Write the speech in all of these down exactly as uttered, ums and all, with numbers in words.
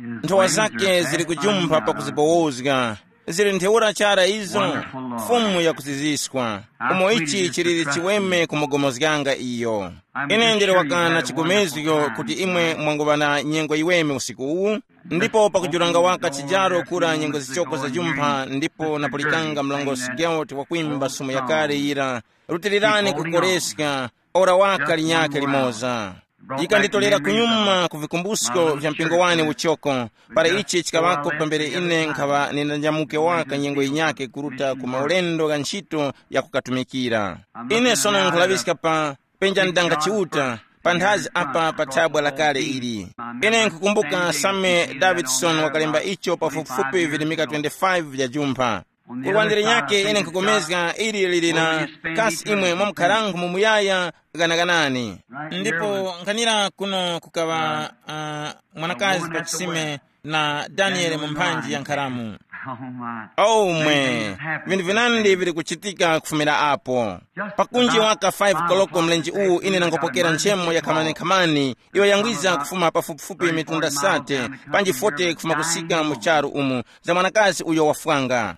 Nthowa zake zili kujumpha pakuzibowozga. Zili ntheura chara izo. Fumu yakuziziswa. Umo ichi chiliri chiweme kumugomozganga iyo. Ine ndili wakana chigomezgo kuti imwe mwanguŵa na nyengo yiweme usiku uwu. Ndipo pakujuranga waka chijaro kura nyengo zichoko zajumpha ndipo napulikanga mlongosi Geralt wakwimba sumu yakale yira, rutilirani kukoreska, ora waka linyakhe limoza. Yikanditolera kunyuma ku vikumbusko vya mpingo wane uchoko, para ichi chikaŵako pambere ine nkhaŵa nindanjamuke waka nyengo yinyakhe kuruta ku maulendo gha ntchito ya kukatumikira. Ine sono nkhulaŵiska pa penja ndanga chiuta, panthazi apa pa thabwa lakale ili. Ine nkukumbuka Same Davidson wakalemba icho pafupifupi virimika twenty-five vya jumpha. Kulwanjira nyake ine nkukomezga ili lili na kasi imwe mwamukharangu mu muyaya, ghanaganani. Ndipo nkhanira kuno kukaŵa uh, mwanakazi pa chisime na Danieli mu mphanji ya nkharamu. Oh my. Oh mwe, vinthu vinandi vili kuchitika kufumira apo. Pakunji waka five koloko mlenje uwu ine nangopokera nchemo ya khamani-khamani, iyo yangwiza kufuma pafupifupi mitunda sate, panji forty kufuma kusika mu charu umu, za mwanakazi uyo wafwanga.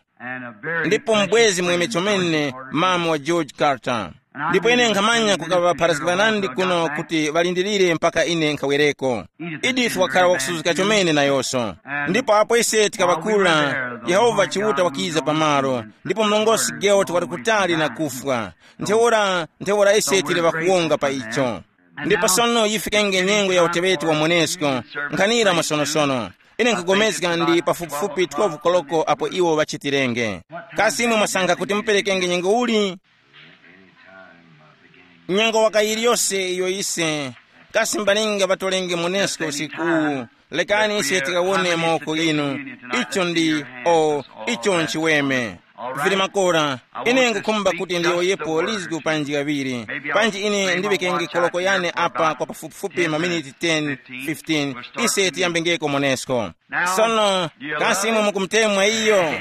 Ndipo mbwezi mweme chomene, mama wa George Carter. Ndipo ine nkhamanya kukaŵapharazga ŵanandi kuno kuti ŵalindirire mpaka ine nkhawereko. Edith wakhala wakusuzgika chomene nayonso. Ndipo apo ise tikaŵakula, Yehova Chiuta wakiza pamalo, ndipo mlongosi George wali kutali na kufwa. Ntheura ntheura ise tili ŵakuwonga pa icho. Ndipo sono yifikenge nyengo ya uteŵeti wa monesko, nkhanira mwasonosono. Ine nkugomezga ndi pafupifupi twelve koloko apo iwo ŵachitirenge. Kasi imwe mwasankha kuti muperekenge nyengo uli? Nyengo waka yiliyose iyo ise, kasi mbaninga ŵatolenge monesko usikuwu? Lekani ise tikawone mawoko inu. Icho ndi o icho nchiweme. Vili makora. Ine ngukhumba kuti ndiyowoyepo lizgu panji kaŵiri. Panji ine ndiŵekenge koloko yane apa kwa pafupifupi maminiti ten, fifteen. Ise tiyambengeko monesko. Sono, kasi imwe mukumutemwa iyo?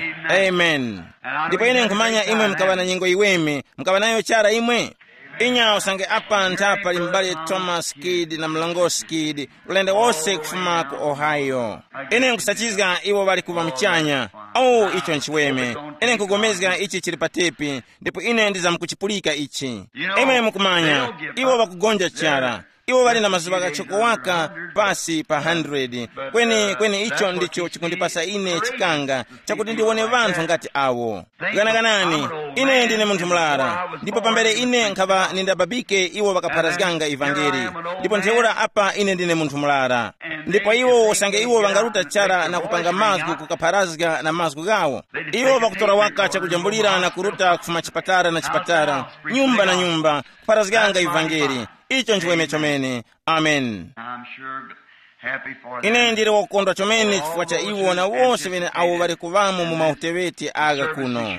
Amen. Ndipo ine nkhumanya imwe mukaŵa na nyengo iweme, mukaŵa nayo chara imwe. Inya usange apa ntha pali m'bale Thomas Kidd na mlongosi Kidd, ulendo wose kufuma ku Ohio. Ine nkusachizga iwo ŵali kuŵa muchanya. Oh, icho nchiweme. Ine nkugomezga ichi chili pa tepi, ndipo ine ndizamkuchipulika ichi. Imwe mukumanya, iwo ŵakugonja chara. Iwo ŵali na mazuŵa ghachoko waka pasi pa hundred. Kweni kweni icho ndicho chikundipasa ine chikanga chakuti ndiwone ŵanthu ngati awo. Ganaganani, ine ndine munthu murara, ndipo pambere ine nkhaŵa nindababike iwo ŵakapharazganga ivangeli. Ndipo ntheura apa ine ndine munthu murara. Ndipo iwo usange iwo ŵangaruta chara na kupanga mazgu kukapharazga na mazgu ghawo, iwo ŵakutora waka chakujambulira na kuruta kufuma chipatara na chipatara, nyumba na nyumba, kupharazganga ivangeli. Icho nchiweme chomene. Amen. I'm sure happy for ine them. Ndili wokondwa chomene chifukwa cha iwo na wose ŵene awo ŵali kuŵamo mu mauteŵeti agha kuno.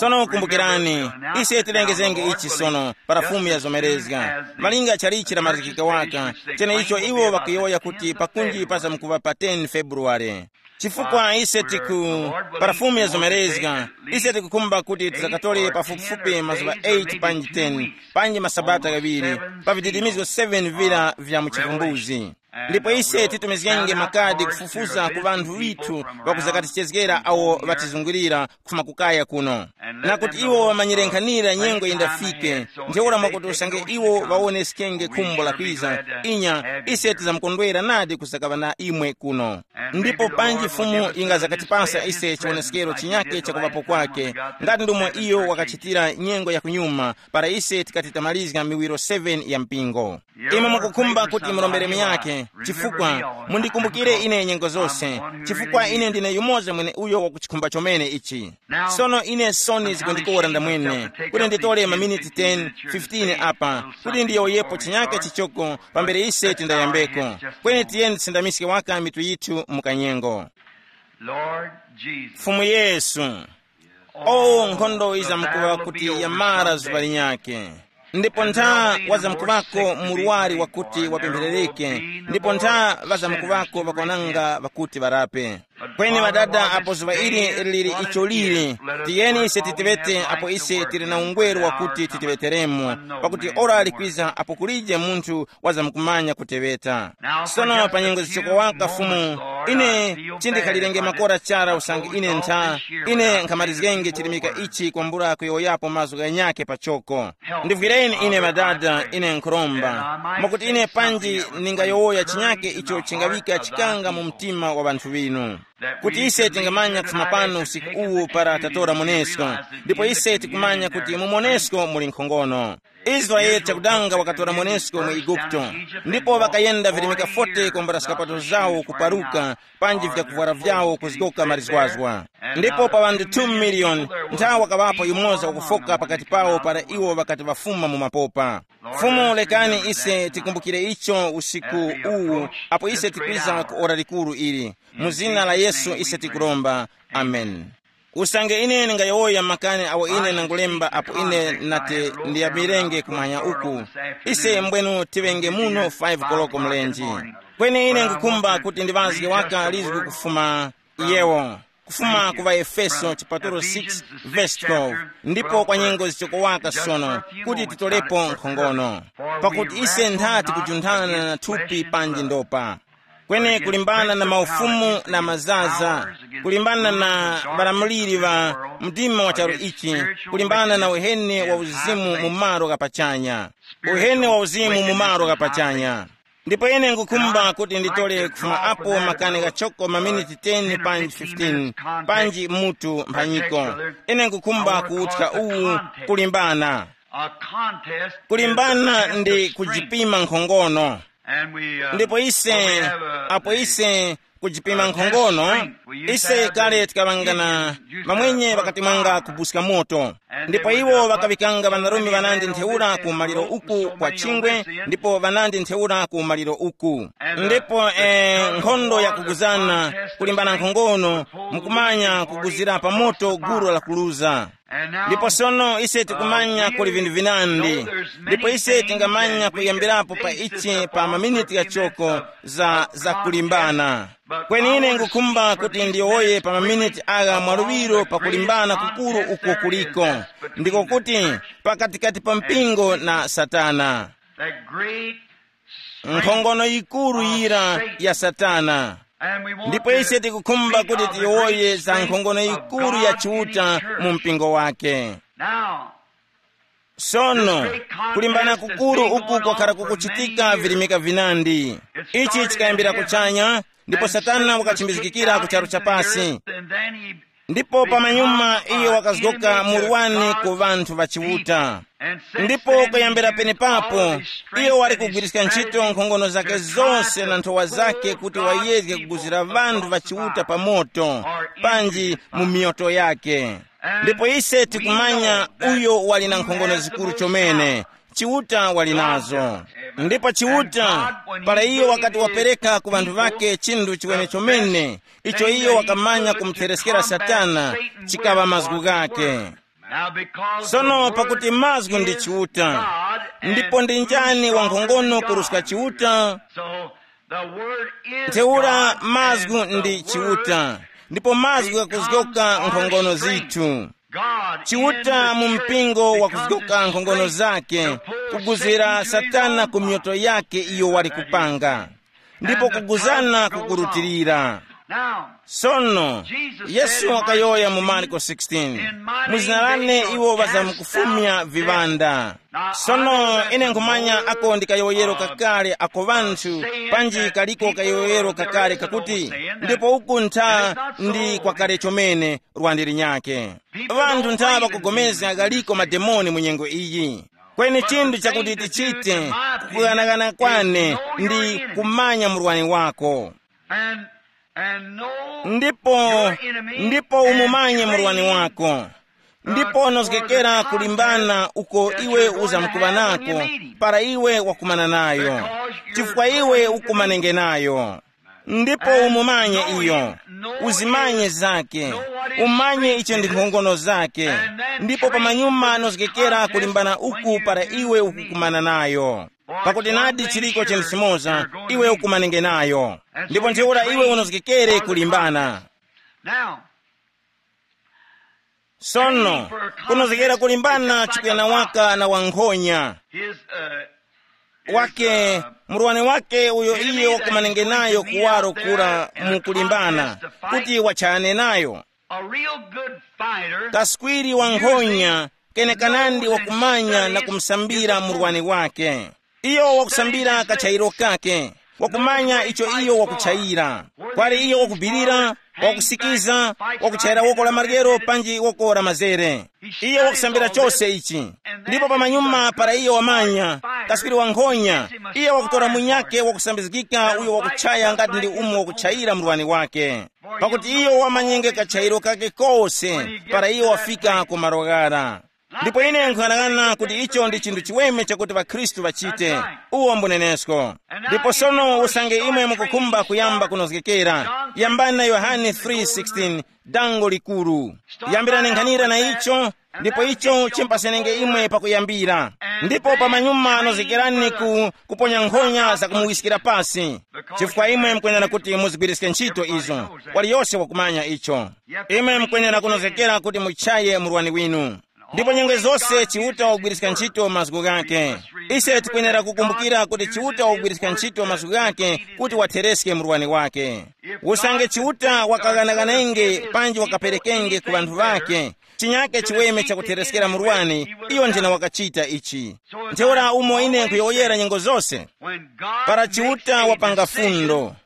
Sono kumbukirani, ise tilengezenge ichi sono para fumu yazomerezga malinga chalichi lamazikika waka, cheneicho iwo ŵakuyowoya kuti pakunji pazamkuŵa pa ten Februware. Chifukwa ise tiku para fumu yazomerezga, ise tikukhumba kuti tizakatole pafupifupi mazuŵa eight panji ten, panji masabata ghaŵiri, pa vididimizgo seven vira vya mu chivumbuzi. Ndipo ise titumizgenge makadi kufufuza ku ŵanthu ŵithu ŵakuzakatichezgera awo ŵatizungulira kufuma kukaya kuno, na kuti iwo ŵamanyire nkhanira nyengo yindafike. Ntheura mwakuti usange iwo ŵawoneskenge khumbo lakwiza, inya ise tizamkondwera nadi kusakaŵa na imwe kuno. Ndipo panji Fumu yingazakatipasa ise chiwoneskero chinyake chakuŵapo kwake, ngati ndomwe iyo wakachitira nyengo ya kunyuma, para ise tikati tamalizga miwiro seven ya mpingo. Imwe mukukhumba kuti murombere miyake, chifukwa mundikumbukire ine nyengo zose, chifukwa ine ndine yumoza mwene uyo wakuchikhumba chomene ichi. Sono ine soni zikundikora ndamwene kuti nditole maminiti ten, fifteen apa kuti ndiyowoyepo chinyake chichoko pambere ise tindayambeko. Kweni tiyeni tisindamiske waka mitu yithu mukanyengo. Lord Jesus. Fumu Yesu. O nkhondo izamkuŵa kuti yamara zuŵa linyakhe. Ndipo ntha wazamkuŵako murwari wakuti wapempherereke, ndipo ntha ŵazamkuŵako ŵakwananga ŵakuti ŵarape. Kweni ŵadada apo zuŵa ili lili icho lili, tiyeni ise titeŵete apo ise tili na ungweru wakuti titeŵeteremo, pakuti ora likwiza apo kulije munthu wazamkumanya kuteŵeta. Sono pa nyengo zichoko waka Fumu, Ine chindikhalirenge makora chara usange ine ntha, ine nkhamalizgenge chirimika ichi kwambula kuyowoyapo mazgu ghanyakhe pachoko. Ndivwireni ine madada, ine nkhuromba, mwakuti ine panji ningayowoya chinyake icho chingaŵika chikanga mu mtima wa ŵanthu ŵinu, kuti ise tingamanya kufuma pano usiku uwu para tatora monesko. Ndipo ise tikumanya kuti mu monesko muli nkhongono. Israele chakudanga wakatora monesko mu Eguputo, ndipo ŵakayenda virimika forty kwambula zikapato zawo kuparuka, panji vyakuvwara vyawo kuzgoka marizgwazgwa. Ndipo pa ŵanthu two million, nthawi wakaŵapo yumoza wakufoka pakati pawo para iwo ŵakati ŵafuma mu mapopa. Fumu, lekani ise tikumbukire icho usiku uwu, apo ise tikwiza ku ora likuru ili. Mu zina la Yesu ise tikuromba. Amen. Usange ine ndingayowoya makani awo ine nangulemba apo ine nati ndiyamilenge kumwanya uku, ise mbwenu tiŵenge muno five koloko mlenji. Kweni ine ngukhumba kuti ndiŵazge waka lizgu kufuma yewo, kufuma ku ŵaefeso chipatulo six, vesi twelve, ndipo kwa nyengo zichoko waka sono, kuti titolepo nkhongono. Pakuti ise nthati kujunthana na thupi panji ndopa, kweni kulimbana na maufumu na mazaza, kulimbana na ŵalamuliri ŵa mdima wa charu ichi, kulimbana na uheni wa uzimu mu malo ghapachanya. Uheni wa uzimu mu malo ghapachanya. Ndipo ine ngukhumba kuti nditole kufuma apo makani ghachoko maminiti ten panji fifteen, panji mutu mphanyiko. Ine ngukhumba kuwuthya uwu, kulimbana. A contest is kulimbana ndi strength. Kujipima nkhongono. And we, uh, ndipo ise, well, we have, uh, apo ise kujipima nkhongono, ise kale tikaŵangana mamwenye ŵakati mwanga kubuska moto. Ndipo iwo ŵakaŵikanga ŵanarume ŵanandi ntheura ku maliro uku kwa chingwe, ndipo ŵanandi ntheura ku maliro uku. Ndipo eh, nkhondo yakuguzana, kulimbana nkhongono, mukumanya kuguzira pa moto gulu lakuluza. Ndipo sono ise tikumanya kuli vinthu vinandi, ndipo ise tingamanya kuyambirapo pa ichi pa maminiti ghachoko za, za kulimbana. Kweni ine ngukhumba kuti ndiyowoye pa maminiti agha mwaluŵiro pa kulimbana kukuru uko kuliko, ndiko kuti pakatikati pa mpingo na Satana. That great nkhongono yikuru yira ya Satana. Ndipo ise tikukhumba kuti tiyowoye za nkhongono yikuru ya Chiuta mu mpingo wake. Now, sono, kulimbana kukuru uku kwakhala kukuchitika virimika vinandi. Ichi chikayambira kuchanya, ndipo Satana wakachimbizgikira ku charu cha pasi. Ndipo pamanyuma iyo wakazgoka murwani ku ŵanthu ŵa Chiuta. Ndipo kuyambira penepapo, iyo wali kugwiriska ntchito nkhongono zake zose na nthowa zake kuti wayezge kuguzira ŵanthu ŵa Chiuta pa moto, panji mu miyoto yake. Ndipo ise tikumanya uyo wali na nkhongono zikuru chomene. Chiuta wali nazo. Ndipo Chiuta, para iyo wakati wapereka ku ŵanthu ŵake chinthu chiwene chomene, icho iyo wakamanya kumuthereskera Satana, chikaŵa mazgu ghake. Sono pakuti mazgu ndi Chiuta, ndipo ndi njani wankhongono kuruska Chiuta? Ntheura mazgu ndi Chiuta, ndipo mazgu ghakuzgoka nkhongono zithu. Chiuta mu mpingo wakuzgoka nkhongono zake, kuguzira Satana ku myoto yake iyo wali kupanga, ndipo kuguzana kukurutilira. Sono, Yesu wakayowoya mu Marko sixteen, mu zina lane iwo ŵazamkufumya viŵanda. Sono, ine nkhumanya ako ndi kayowoyero kakale ako ŵanthu, panji kaliko kayowoyero kakale kakuti, ndipo uku ntha ndi kwakale chomene, lwandi linyakhe. Ŵanthu ntha ŵakugomezga ghaliko mademoni mu nyengo iyi. Kweni chinthu chakuti tichite, kughanagana kwane ndi kumanya murwani wako. And, and know ndipo your enemy ndipo and umumanye train murwani wako, ndipo unozgekera kulimbana uko iwe uzamkuŵa nako para iwe wakumana nayo, chifukwa iwe ukumanenge nayo. Ndipo umumanye iyo, uzimanye zake, umanye icho ndi nkhongono zake, ndipo pamanyuma nozgekera kulimbana uku para iwe ukukumana nayo. Pakuti nadi chiliko chinthu chimoza, iwe ukumanenge nayo, ndipo ntheura iwe unozgekere kulimbana. Now, sono, kunozgekera kulimbana chikuyana waka na wankhonya. His, uh, Wake, murwani wake uyo iye wakumanenge nayo kuwaro kura mu kulimbana, kuti wachayane nayo. A real good fighter. Kaswiri wa nkhonya kenekanandi wakumanya na kumsambira murwani wake. Iyo wakusambira kachayiro kake, wakumanya icho iyo wakuchayira. Kwali iyo wakubirira, wakusikiza, wakuchayira woko la maryero panji woko la mazere. Iyo wakusambira chose ichi. Ndipo pamanyuma para iyo wamanya, kaswiri wa nkhonya, iyo wakutora munyake wakusambizgika uyo wakuchaya ngati ndi umo wakuchayira murwani wake. Pakuti iyo wamanyenge kachayiro kake kose para iyo wafika ku malo ghara. Ndipo ine nkuyang'ana kuti icho ndi chinthu chiweme chakuti ŵakhristu ŵachite. Uwo mbunenesko. Ndipo sono usange imwe mukukhumba kuyamba kunozgekera, yambani na Yohane three sixteen, dango likuru. Yambirani nkhanira na icho, ndipo icho chimpasenenge imwe pakuyambira. Ndipo pamanyuma nozgekerani ku kuponya nkhonya zakumuwiskira pasi, chifukwa imwe mukwenera kuti muzigwiriske ntchito izo. Waliyose wakumanya icho. Imwe mukwenera kunozgekera kuti muchaye murwani winu. Ndipo nyengo zose Chiuta wagwiriska ntchito mazgu ghake. Ise tikwenera kukumbukira kuti Chiuta wagwiriska ntchito mazgu ghake kuti wathereske murwani wake. Usange Chiuta wakaghanaghanenge panji wakaperekenge ku ŵanthu ŵake, chinyake chiweme chakuthereskera murwani, iyo njena wakachita ichi. Ntheura umo ine nkhuyowoyera nyengo zose, para Chiuta wapanga fundo,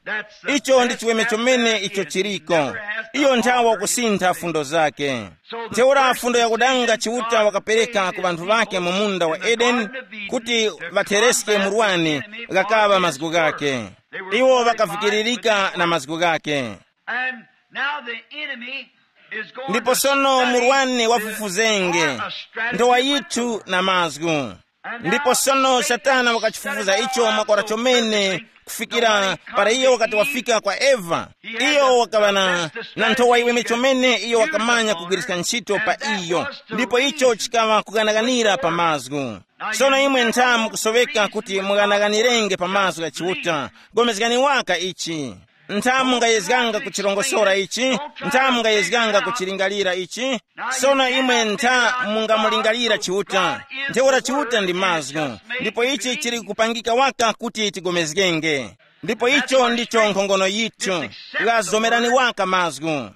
icho ndi chiweme chomene icho chiriko. Iyo nthawa kusintha fundo zake. Ntheura fundo yakudanga Chiuta wakapereka ku ŵanthu ŵake mu munda wa Edeni, kuti ŵathereske murwani, ghakaŵa mazgu ghake. Iwo ŵakavikiririka na mazgu ghake. And now the enemy is going ndipo to sono study murwani wafufuzenge, or a strategy ndowa with yithu na mazgu. Ndipo sono Satana wakachifufuza icho makora chomene, kufikira para iyo wakati wafika kwa Eva, iyo wakaŵa na, na nthowa iweme chomene iyo wakamanya kugwiriska ntchito pa iyo, ndipo icho chikaŵa kughanaghanira pa mazgu. Sono imwe ntha mukusoweka kuti mughanaghanirenge pa mazgu gha Chiuta. Gomezgani waka ichi. Ntha mungayezganga kuchirongosora ichi, ntha mungayezganga kuchilingalira ichi. Sono imwe ntha mungamulingalira Chiuta. Ntheura Chiuta ndi mazgu, ndipo ichi chili kupangika waka kuti tigomezgenge. Ndipo icho ndicho nkhongono yithu, ghazomerani waka mazgu.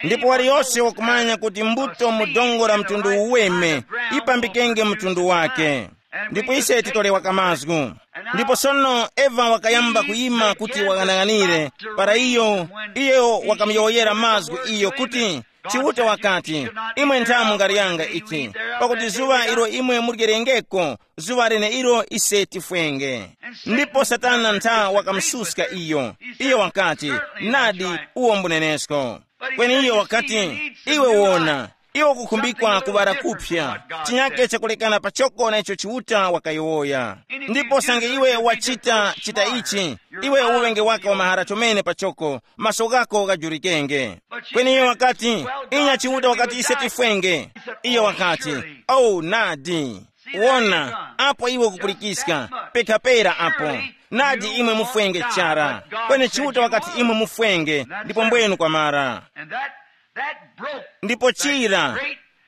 Ndipo waliyose wakumanya kuti mbuto mu dongo la mtundu uweme ipambikenge mtundu wake. Ndipo ise titolewa kamazgu. Ndipo sono Eva wakayamba kuyima kuti waghanaghanire, para iyo, iyo wakamuyowoyera mazgu iyo kuti, Chiuta wakati, imwe ntha mungaryanga ichi, pakuti zuŵa ilo imwe muryerengeko, zuŵa leneilo ise tifwenge. Ndipo Satana ntha wakamususka iyo. Iyo wakati, nadi, uwo mbunenesko. Kweni iyo wakati, iwe wona, iwe ukukhumbikwa kuŵala kuphya, chinyake chakulekana pachoko na icho Chiuta wakayowoya. Ndipo sange iwe wachita chita ichi, iwe uŵenge waka wa mahara chomene pachoko, maso ghako ghajurikenge. Kweni iyo wakati, inya Chiuta wakati ise tifwenge. Iyo wakati, oh nadi. Wona, apo iwe ukupulikiska, pekhapera apo. Nadi imwe mufwenge chara. Kweni Chiuta wakati imwe mufwenge, ndipo mbwenu kwamara. And that, that broke ndipo chira,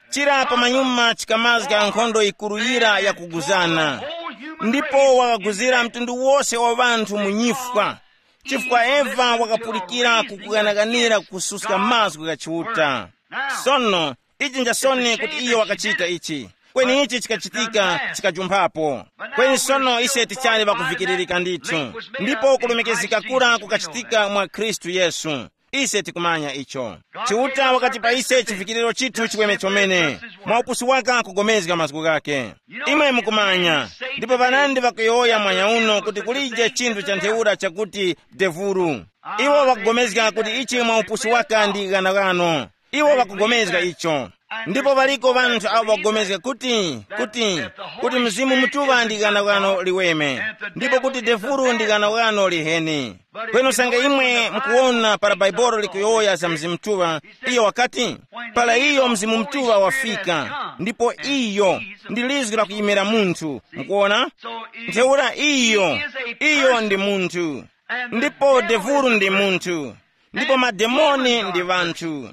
chira pamanyuma chikamazga nkhondo yikuru yira yakuguzana. Ndipo wakaguzira mtundu wose wa ŵanthu mu nyifwa, chifukwa Eva wakapulikira kukughanaghanira kususka mazgu gha Chiuta. Sono, ichi njasoni kuti iyo wakachita ichi. Kweni ichi chikachitika chikajumphapo. Kweni sono ise tichali ŵakuvikiririka ndithu. Ndipo kulumikiza kura kukachitika mwa Khristu Yesu. Ise tikumanya icho. Chiuta wakati pa ise chivikiriro chithu chiweme chomene, mwa upusi waka kugomezga mazgu ghake. Imwe mukumanya, ndipo ŵanandi ŵakuyowoya mwanya uno kuti kulije chinthu cha ntheura chakuti devuru. Iwo ŵakugomezga kuti ichi mwa upusi waka ndi ghanaghano. Iwo ŵakugomezga icho. Ndipo ŵaliko ŵanthu awo ŵakugomezga kuti, kuti, kuti Mzimu Mutuŵa ndi ghanaghano liweme, ndipo kuti devuru ndi ghanaghano liheni. Kweni usange imwe mukuwona para Baibolo likuyowoya za Mzimu Mutuŵa, iyo wakati, para iyo Mzimu Mutuŵa wafika, ndipo iyo ndi lizgu la kuyimira munthu, mukuwona? Ntheura iyo, iyo ndi munthu, ndipo devuru ndi munthu, ndipo mademoni ndi ŵanthu.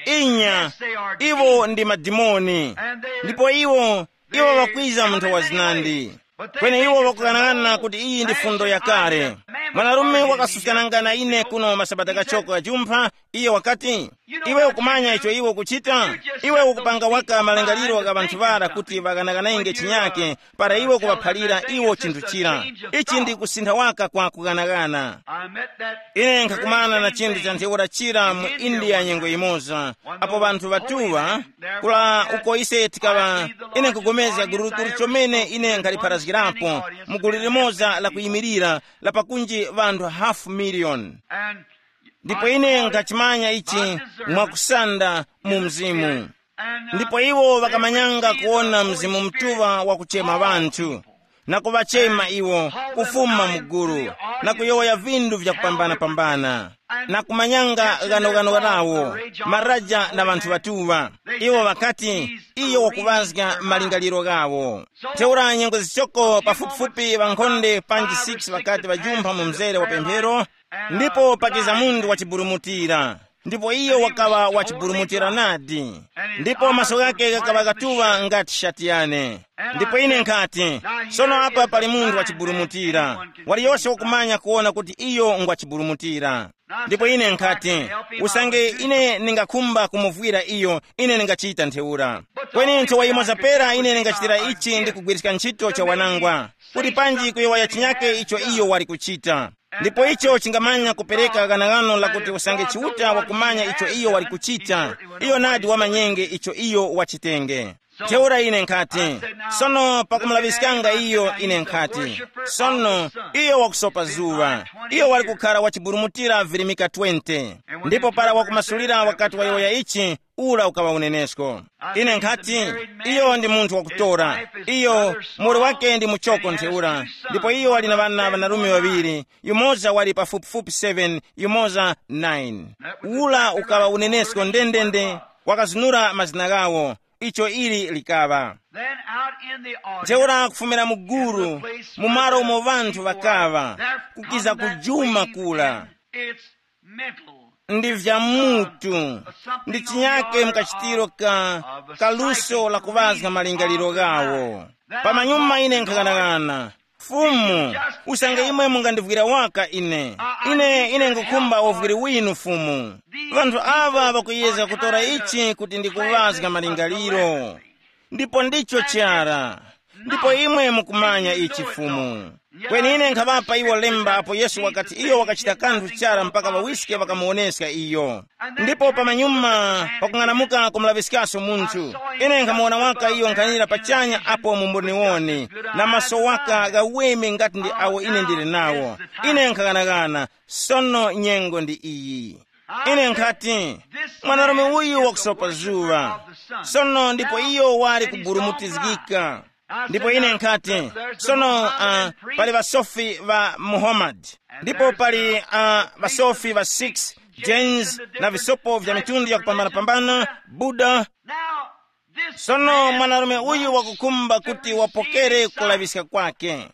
Inya, iwo ndi madimoni, ndipo iwo, iwo ŵakwiza mu nthowa zinandi. Kweni iwo wakughanag'ana kuti iyi ndi fundo yakale. Mwanarume wakasuskananga na ine kuno masabata kachoko ghajumpha, iye wakati, iwe ukumanya icho iwe ukuchita? Iwe ukupanga waka malingaliro gha ŵanthu ŵara kuti ŵaghanaghanenge chinyake, para iwe kuŵaphalira iwo chinthu chira. Ichi ndi kusintha waka kwa kughanagana. Ine nkhakumana na chinthu cha ntheura chira mu India nyengo imoza, apo ŵanthu ŵatuŵa kula uko ise tikaŵa, ine nkupulikana gulugulu chomene ine nkhalipharazgirapo mu gulu limoza la kuyimirira la pakunji ŵanthu hafu miliyoni. Ndipo ine nkhachimanya ichi mwakusanda mu mzimu. Ndipo iwo ŵakamanyanga kuwona Mzimu Mutuŵa wakuchema ŵanthu, na kuŵachema iwo kufuma mu gulu, na kuyowoya vindu vyakupambana-pambana, na kumanyanga ghanoghano ghawo, maraja na ŵanthu ŵatuŵa. Iwo ŵakati, iyo wakuŵazga malingaliro ghawo. Ntheura nyengo zichoko pafupifupi ŵankhonde panji six ŵakati ŵajumpha mu mzere wa pemphero, ndipo pakiza munthu wachiburumutira. Ndipo iyo wakaŵa wachiburumutira nadi. Ndipo maso ghake ghakaŵa ghatuŵa ngati shati yane. Ndipo ine nkhati, sono apa pali munthu wachiburumutira. Waliyose wakumanya kuwona kuti iyo ngwachiburumutira. Ndipo ine nkhati, usange ine ndingakhumba kumuvwira iyo, ine ndingachita ntheura. Kweni nthowa yimoza pera ine ndingachitira ichi ndi kugwiriska ntchito cha wanangwa, kuti panji kuyowoya chinyake icho iyo wali kuchita. Ndipo icho chingamanya kupereka ghanaghano lakuti usange Chiuta wakumanya icho iyo wali kuchita, iyo nadi wamanyenge icho iyo wachitenge. Ntheura ine nkhati, sono pakumulaŵiskanga iyo ine nkhati, sono iyo wakusopa zuŵa, iyo wali kukhara wachiburumutira virimika twenty. Ndipo para wakumasulira wakati wayowoya ichi, ura ukaŵa unenesko. Ine nkhati, iyo ndi munthu wakutora, iyo muli wake ndi muchoko ntheura. Ndipo iyo wali na ŵana ŵanarume ŵaŵiri, yumoza wali pafupifupi seven, yumoza nine. Ula ukaŵa unenesko ndendende, wakazunura mazina ghawo. Icho ili likaŵa. Then out in the audience, ntheura kufumira mu gulu, mu malo umo ŵanthu ŵakaŵa, kukiza kujuma kula. It's mental. Ndi vya mutu, ndi chinyake mkachitiro ka kaluso la kuŵazga malingaliro ghawo. Pamanyuma ine nkhaghanaghana, Fumu, usange imwe mungandivwira waka ine, ine ine ngukhumba uvwiri winu Fumu. Ŵanthu aŵa ŵakuyezga kutora ichi kuti ndikuŵazga malingaliro. Ndipo ndicho chara. Ndipo imwe mukumanya ichi Fumu. Kweni ine nkhaŵapa iwo lemba apo Yesu wakati iyo wakachita kanthu chara mpaka ŵawiske ŵakamuwoneska iyo. Ndipo pamanyuma pakung'anamuka kumulaŵiskaso munthu, ine nkhamuwona waka iyo nkhanira pachanya apo mu mboniwoni, na maso waka ghaweme ngati ndi awo ine ndili nawo. Ine nkhaghanagana, sono nyengo ndi iyi. Ine nkhati, mwanarume uyu wakusopa zuŵa. Sono ndipo iyo wali kuburumutizgika. Ndipo ine nkhati, sono uh, pali ŵasofi ŵa Muhammad, ndipo pali uh, ŵasofi ŵa six, Jains, na visopo vya mitundu yakupambana-pambana, Buddha. Sono mwanarume uyu wakukhumba kuti wapokere kulaŵiska kwake.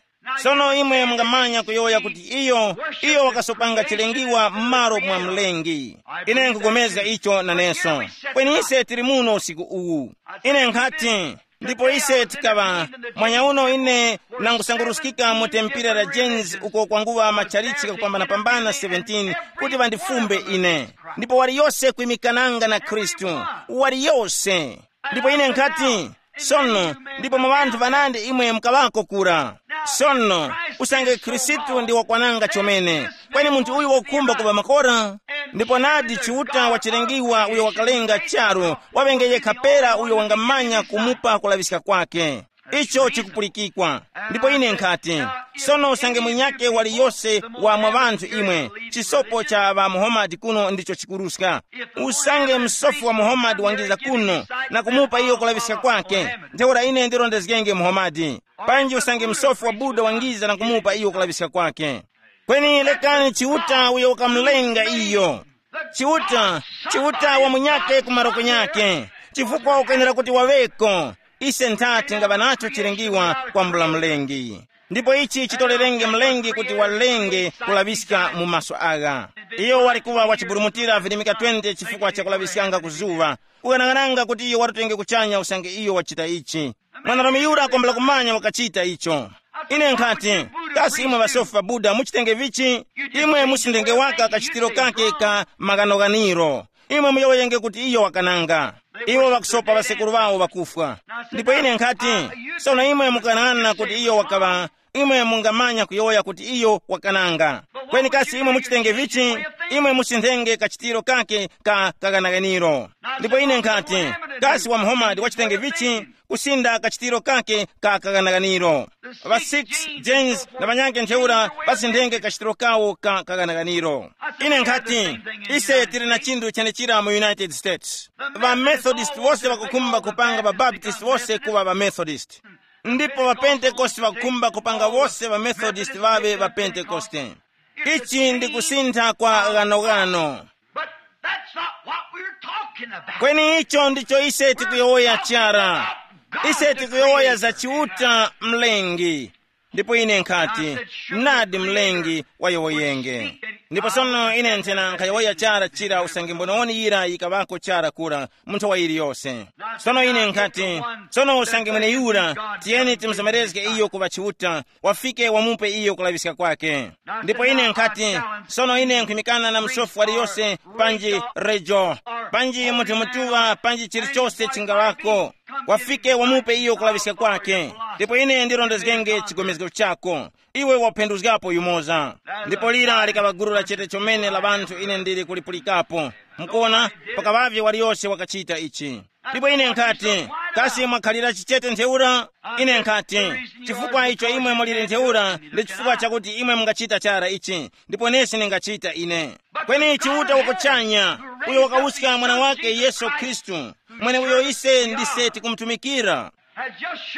Sono imwe mungamanya kuyowoya kuti iyo iyo wakasopanga chilengiwa m'malo mwa mlengi. Ine nkupulikana icho naneso. Kweni ise tili muno usiku uwu. Ine nkhati, ndipo ise tikaŵa, mwanyauno ine nangusanguruskika mu tempira la Jains uko kwanguŵa matchalichi kakupambanapambana seventeen kuti ŵandifumbe ine. Ndipo waliyose kwimikananga na Khristu, waliyose. Ndipo ine nkhati, sono, ndipo mwa ŵanthu ŵanandi imwe mukaŵako kura? Sono, usange Khristu ndi wakwananga chomene, kweni munthu uyu wakukhumba kuŵa makora? Ndipo nadi Chiuta wachilengiwa uyo wakalenga charu, waŵenge yekha pera uyo wangamanya kumupa kulaŵiska kwake. Icho chikupulikikwa. Ndipo ine nkhati, sono usange munyake waliyose wa mwa ŵanthu imwe, chisopo cha ŵa Muhammad kuno ndicho chikuruska. Usange msofi wa Muhammad wangiza kuno na kumupa iyo kulaŵiska kwake, ntheura ine ndirondezgenge Muhammad. Panji usange msofi wa Buda wangiza na kumupa iyo kulaŵiska kwake. Kweni lekani Chiuta uyo wakamulenga iyo. Chiuta, Chiuta wa munyake ku maroko nyake, chifukwa ukwenera kuti waŵeko. Ise ntha tingaŵa nacho chilengiwa kwambula Mlengi. Ndipo ichi chitolerenge Mlengi kuti walenge kulaŵiska mu maso agha. Iyo wali kuŵa wachiburumutira virimika twenty chifukwa cha kulaŵiskanga ku zuŵa. Kughanaghananga kuti iyo watutenge kuchanya usange iyo wachita ichi. Mwanarume yura akombela kumanya wakachita icho. Ine nkhati, kasi imwe ŵasofi pa Buda muchitenge vichi? Imwe musindenge waka kachitiro kake ka maghanoganiro. Imwe muyowoyenge kuti iyo wakananga. Iwo ŵakusopa ŵasekuru ŵawo ŵakufwa. Ndipo ine nkhati, sono imwe mukanana kuti iyo wakaŵa, imwe mungamanya kuyowoya kuti iyo wakananga. Kweni kasi imwe muchitenge vichi? Imwe musindenge kachitiro kake ka kaghanaganiro. Ndipo ine nkhati, kasi wa Muhammad wachitenge vichi? Kusinda kachitiro kake ka kaghanaganiro. Ŵa six James na ŵanyakhe ntheura ŵasindenge kachitiro kawo ka kaghanaganiro. Ine nkhati, ise tili na chinthu chenechira mu United States. Ŵamethodist wose ŵakukhumba kupanga ŵabaptist wose kuŵa ŵamethodist. Ndipo ŵapentekoste ŵakukhumba kupanga wose ŵamethodist ŵaŵe ŵapentekoste. Ichi ndi kusintha kwa ghanoghano. But that's not what we're talking about. Kweni icho ndicho ise tikuyowoya chara. Ise tikuyowoya za Chiuta Mlengi. Ndipo ine nkhati, nadi Mlengi wayowoyenge. Ndipo sono ine nthena nkhayowoya chara chira usange mbononi yira yikaŵako chara kura munthu wa yiliyose. Sono ine nkhati, sono usange mweneyura, tiyeni timzemerezge iyo kuŵa Chiuta, wafike wamupe iyo kulaŵiska kwake. Ndipo ine nkhati, sono ine nkhwimikana na musofi waliyose, panji rejo, panji munthu mutuŵa, panji chilichose chingaŵako, wafike wamupe iyo kulaŵiska kwake. Ndipo ine ndirondezgenge chigomezgo chako. Iwe waphenduzgapo yumoza. Ndipo lira likaŵa gulu la chete chomene la ŵanthu ine ndili kulipulikapo. Mukuona, pakaŵavye waliyose wakachita ichi. Ndipo ine nkhati, kasi mwakhalira chichete ntheura? Ine nkhati, chifukwa icho imwe muliri ntheura ndi chifukwa chakuti imwe mungachita chara ichi, ndipo nesi ningachita ine. Kweni Chiuta wakuchanya, uyo wakawuska mwana wake Yesu Khristu, mwene uyo ise ndise tikumutumikira,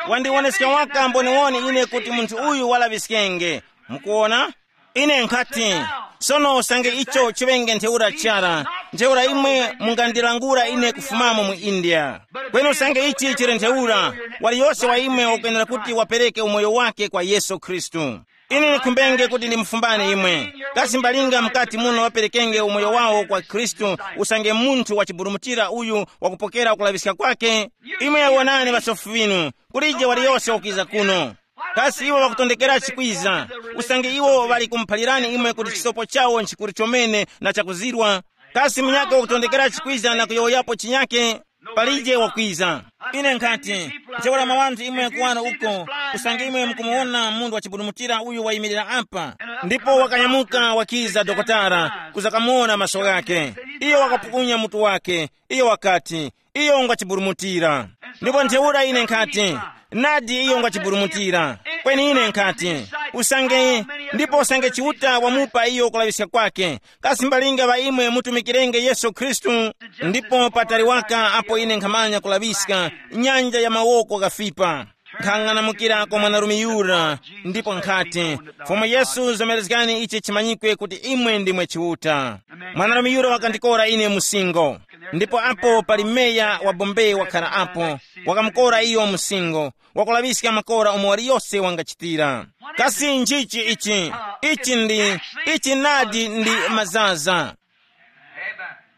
wandiwoneska waka mboniwoni ine kuti munthu uyu walaŵiskenge. Mukuona? Ine nkhati, sono usange icho chiŵenge ntheura chara, ntheura imwe mungandilangula ine kufumamo mu India. Kweni usange ichi chili ntheura, waliyose wa imwe wakwenera kuti wapereke umoyo wake kwa Yesu Khristu. Ine ndikhumbenge kuti ndimufumbane imwe. Kasi mbalinga mukati muno ŵaperekenge umoyo wawo kwa Khristu, usange munthu wachiburumutira uyu wakupokera kulaŵiska kwake? Imwe wonani ŵasofi ŵinu, kulije waliyose wakwiza kuno. Kasi iwo ŵakutondekera chikwiza, usange iwo ŵali kumuphalirani imwe kuti chisopo chawo nchikuru chomene na chakuzirwa? Kasi munyakhe wakutondekera chikwiza na kuyowoyapo chinyakhe? Palije wakwiza. Ine nkhati, ntheura mwa wanthu imwe kuwano uko, usange imwe mukumuwona munthu wachiburumutira uyu wayimirira apa, ndipo wakanyamuka wakiza dokotala kuzakamuwona maso ghake, iyo wakapukunya mutu wake, iyo wakati, iyo ngwachiburumutira. Ndipo ntheura ine nkhati, nadi iyo ngwachiburumutira. Kweni ine nkhati, usange, ndipo usange Chiuta wamupa iyo kulaŵiska kwake, kasi mbalinga ŵa imwe mutumikirenge Yesu Khristu? Ndipo patali waka apo ine nkhamanya kulaŵiska, nyanja ya mawoko ghafipa. Nkhang'anamukira kwa mwanarume yura, ndipo nkhati, Fumu Yesu, zomerezgani ichi chimanyikwe kuti imwe ndimwe Chiuta. Mwanarume yura wakandikora ine msingo. Ndipo apo pali meya wa Bombay wakhala apo, wakamukora iyo msingo, wakulaŵiska makora umo waliyose wangachitira. Kasi nchichi ichi? Ichi ndi, ichi nadi ndi mazaza.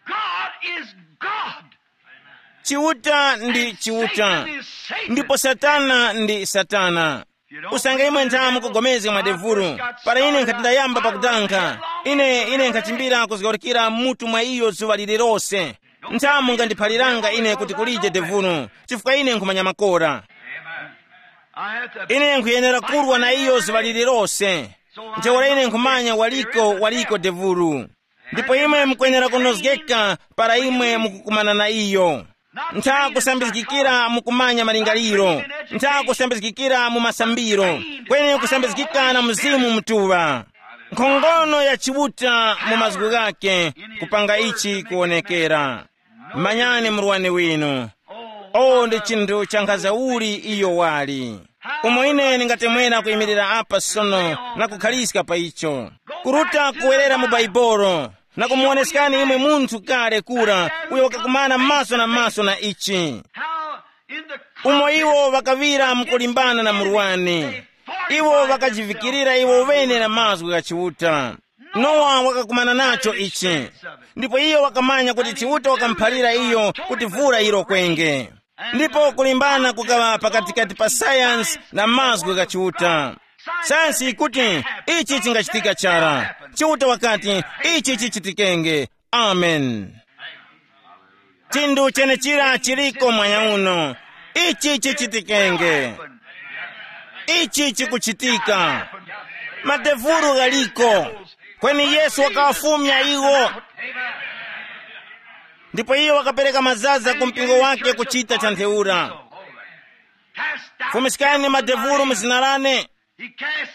God is God. Chiuta ndi Chiuta, ndipo Satana ndi Satana. Usange imwe nthamu kugomezga mwa devulu, para ine nkhati ndayamba pakutankha, ine ine nkhachimbira kuzgaurikira mutu mwa iyo zuŵa lililose. Nthamu ngandiphaliranga ine kuti kulije devulu, chifukwa ine nkhumanya makora. Ine nkhuyenera kurwa na iyo zuŵa lililose. Ntheura ine nkhumanya waliko waliko devulu. Ndipo imwe mukwenera kunozgeka para imwe mukukumana na iyo. Ntha kusambizgikira mukumanya malingaliro, ntha kusambizgikira mu masambiro, kweni kusambizgika na Mzimu Mutuŵa. Nkhongono ya Chiuta mu mazgu ghake kupanga ichi kuwonekera. Manyani murwani winu. O, ndi chinthu chankhaza uli iyo wali. Umo ine ndingatemwera kuyimirira apa sono na kukhaliska pa icho, kuruta kuwerera mu Baibolo na kumuwoneskani imwe munthu kale kura uyo wakakumana maso na maso na ichi, umo iwo ŵakaŵira mukulimbana na murwani. Iwo ŵakajivikirira iwo ŵene na mazgu gha Chiuta. Nowa wakakumana nacho ichi, ndipo iyo wakamanya kuti Chiuta wakamuphalira iyo kuti vura yirokwenge. Ndipo kulimbana kukaŵa pakatikati pa sayansi na mazgu gha Chiuta. Sayansi yikuti ichi chingachitika chara. Chiuta wakati ichi chichitikenge. Amen. Chinthu chenechira chiliko mwanya uno. Ichi chichitikenge. Ichi chikuchitika. Madevulu ghaliko. Kweni Yesu wakawafumya iwo. Ndipo iye wakapereka mazaza ku mpingo wake kuchita cha ntheura. Fumiskani madevulu mu zina lane. He cast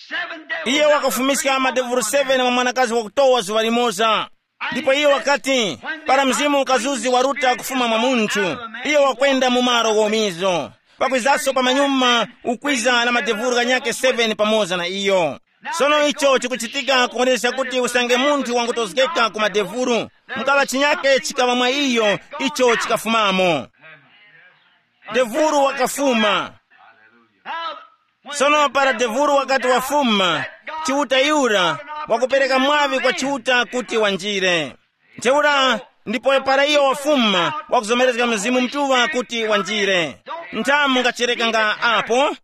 seven devils. Iye wakafumiska madevulu seven mwa mwanakazi wakutowa zuŵa limoza. Ndipo iye wakati, para mzimu ukazuzi waruta kufuma mwa munthu, iye wakwenda mu malo ghomizo. Pakwizaso pamanyuma ukwiza na madevulu ghanyakhe seven pamoza na iyo. Sono icho chikuchitika kuoneska kuti usange munthu wangutozgeka ku madevulu, mukaŵa chinyakhe chikaŵa mwa iyo, icho chikafumamo. Devulu wakafuma. Sono para devulu wakati wafuma, Chiuta yura wakupereka mwaŵi kwa Chiuta kuti wanjire. Ntheura, ndipo para iyo wafuma wakuzomerezga Mzimu Mutuŵa kuti wanjire. Nthamu ngacherekanga apo.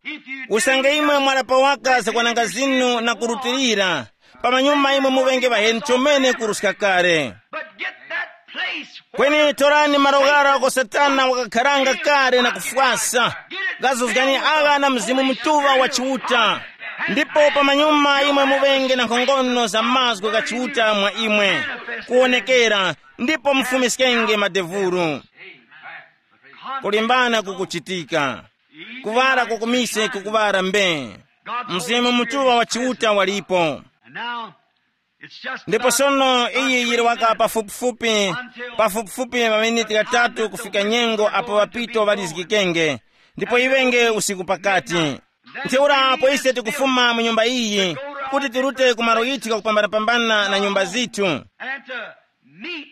Usange imwe mwalapa waka zakwananga zinu na kurutilira, pamanyuma imwe muŵenge ŵaheni chomene kuruska kale. But get that place where kweni torani malo ghara uko Satana wakakharanga kale na kufwasa. Ghazuzgani agha na Mzimu Mutuŵa wa Chiuta. Ndipo pamanyuma imwe muŵenge na nkhongono za mazgu gha Chiuta mwa imwe kuwonekera, ndipo mufumiskenge madevuru. Kulimbana kukuchitika. Kuŵala kwa kumise kukuŵala mbe. Mzimu Mutuŵa wa Chiuta walipo. And now, it's just ndipo about sono iyi yiri waka pafupifupi, pafupifupi maminiti ghatatu kufika nyengo apo ŵapito ŵalizgikenge, ndipo iŵenge usiku pakati. Ntheura apo ise tikufuma mu nyumba iyi kuti tirute ku malo ghithu ghakupambanapambana na nyumba zithu, and to meet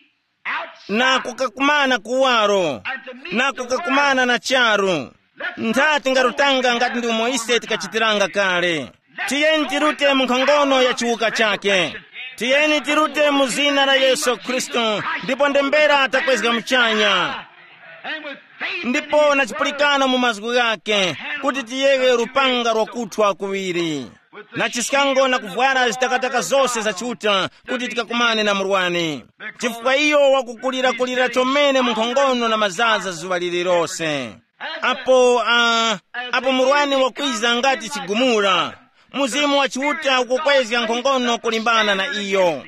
na kukakumana kuwaro, na kukakumana na charu. Ntha tingarutanga ngati ndi umo ise tikachitiranga kale. Tiyeni tirute mu nkhongono ya chiwuka chakhe. Tiyeni tirute mu zina la Yesu Khristu, ndipo ndembera takwezga muchanya. Ndipo na chipulikano mu mazgu ghakhe, kuti tiyeghe lupanga lwakuthwa kuŵiri, na chiskango na kuvwara zitakataka zose za Chiuta, kuti tikakumane na murwani. Chifukwa iyo wakukulirakulira chomene mu nkhongono na mazaza zuŵa lililose. Apo uh, apo murwani wakwiza ngati chigumula, Mzimu wa Chiuta ukukwezga nkhongono kulimbana na iyo.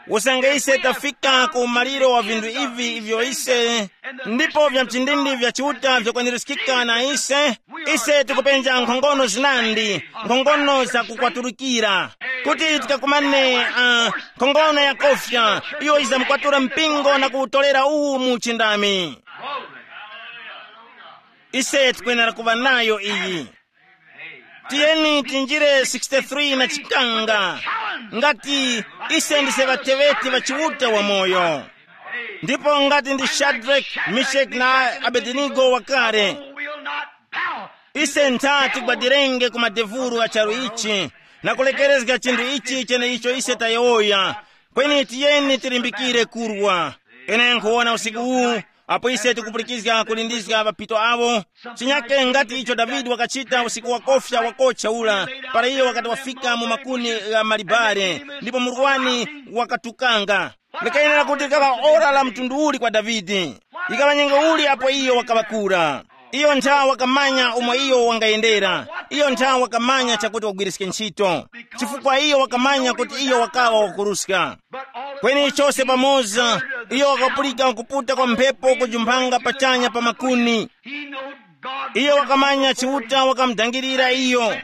Usange ise tafika ku umaliro wa vinthu ivi ivyo ise ndipo vya mchindindi vya Chiuta vyakwanirizikika na ise, ise tikupenja nkhongono zinandi, nkhongono za kukwaturukira, kuti tikakumane uh, nkhongono ya kofya iyo izamkwatura mpingo na kuwutolera uwu mu uchindami. Ise tikwenera kuŵa nayo iyi. Tiyeni tinjire sixty-three na chikanga. Ngati ise ndise ŵateŵeti ŵa Chiuta wamoyo, ndipo ngati ndi Shadrake, Meshaki na Abedenigo wakale, ise ntha tigwadirenge ku madevulu a charu ichi na kulekerezga chinthu ichi cheneicho ise tayowoya. Kweni tiyeni tilimbikire kurwa. Ine nkhuwona usiku uwu, apo ise tikupulikizga kulindizga ŵapito awo, chinyake ngati icho Davide wakachita usiku wakofya wakotcha ula, para iyo wakati wafika mu makuni gha malibare ndipo murwani wakatukanga. Likayenera kuti likaŵa ora la mtundu uli kwa Davide? Yikaŵa nyengo uli apo iyo wakaŵa kura? Iyo ntha wakamanya umo iyo wangayendera. Iyo ntha wakamanya chakuti wagwiriske ntchito, chifukwa iyo wakamanya kuti iyo wakawa wakuruska. Kweni chose pamoza, iyo wakapulika kuputa kwa mphepo kujumphanga pachanya pa makuni. Iyo wakamanya Chiuta wakamudangirira iyo,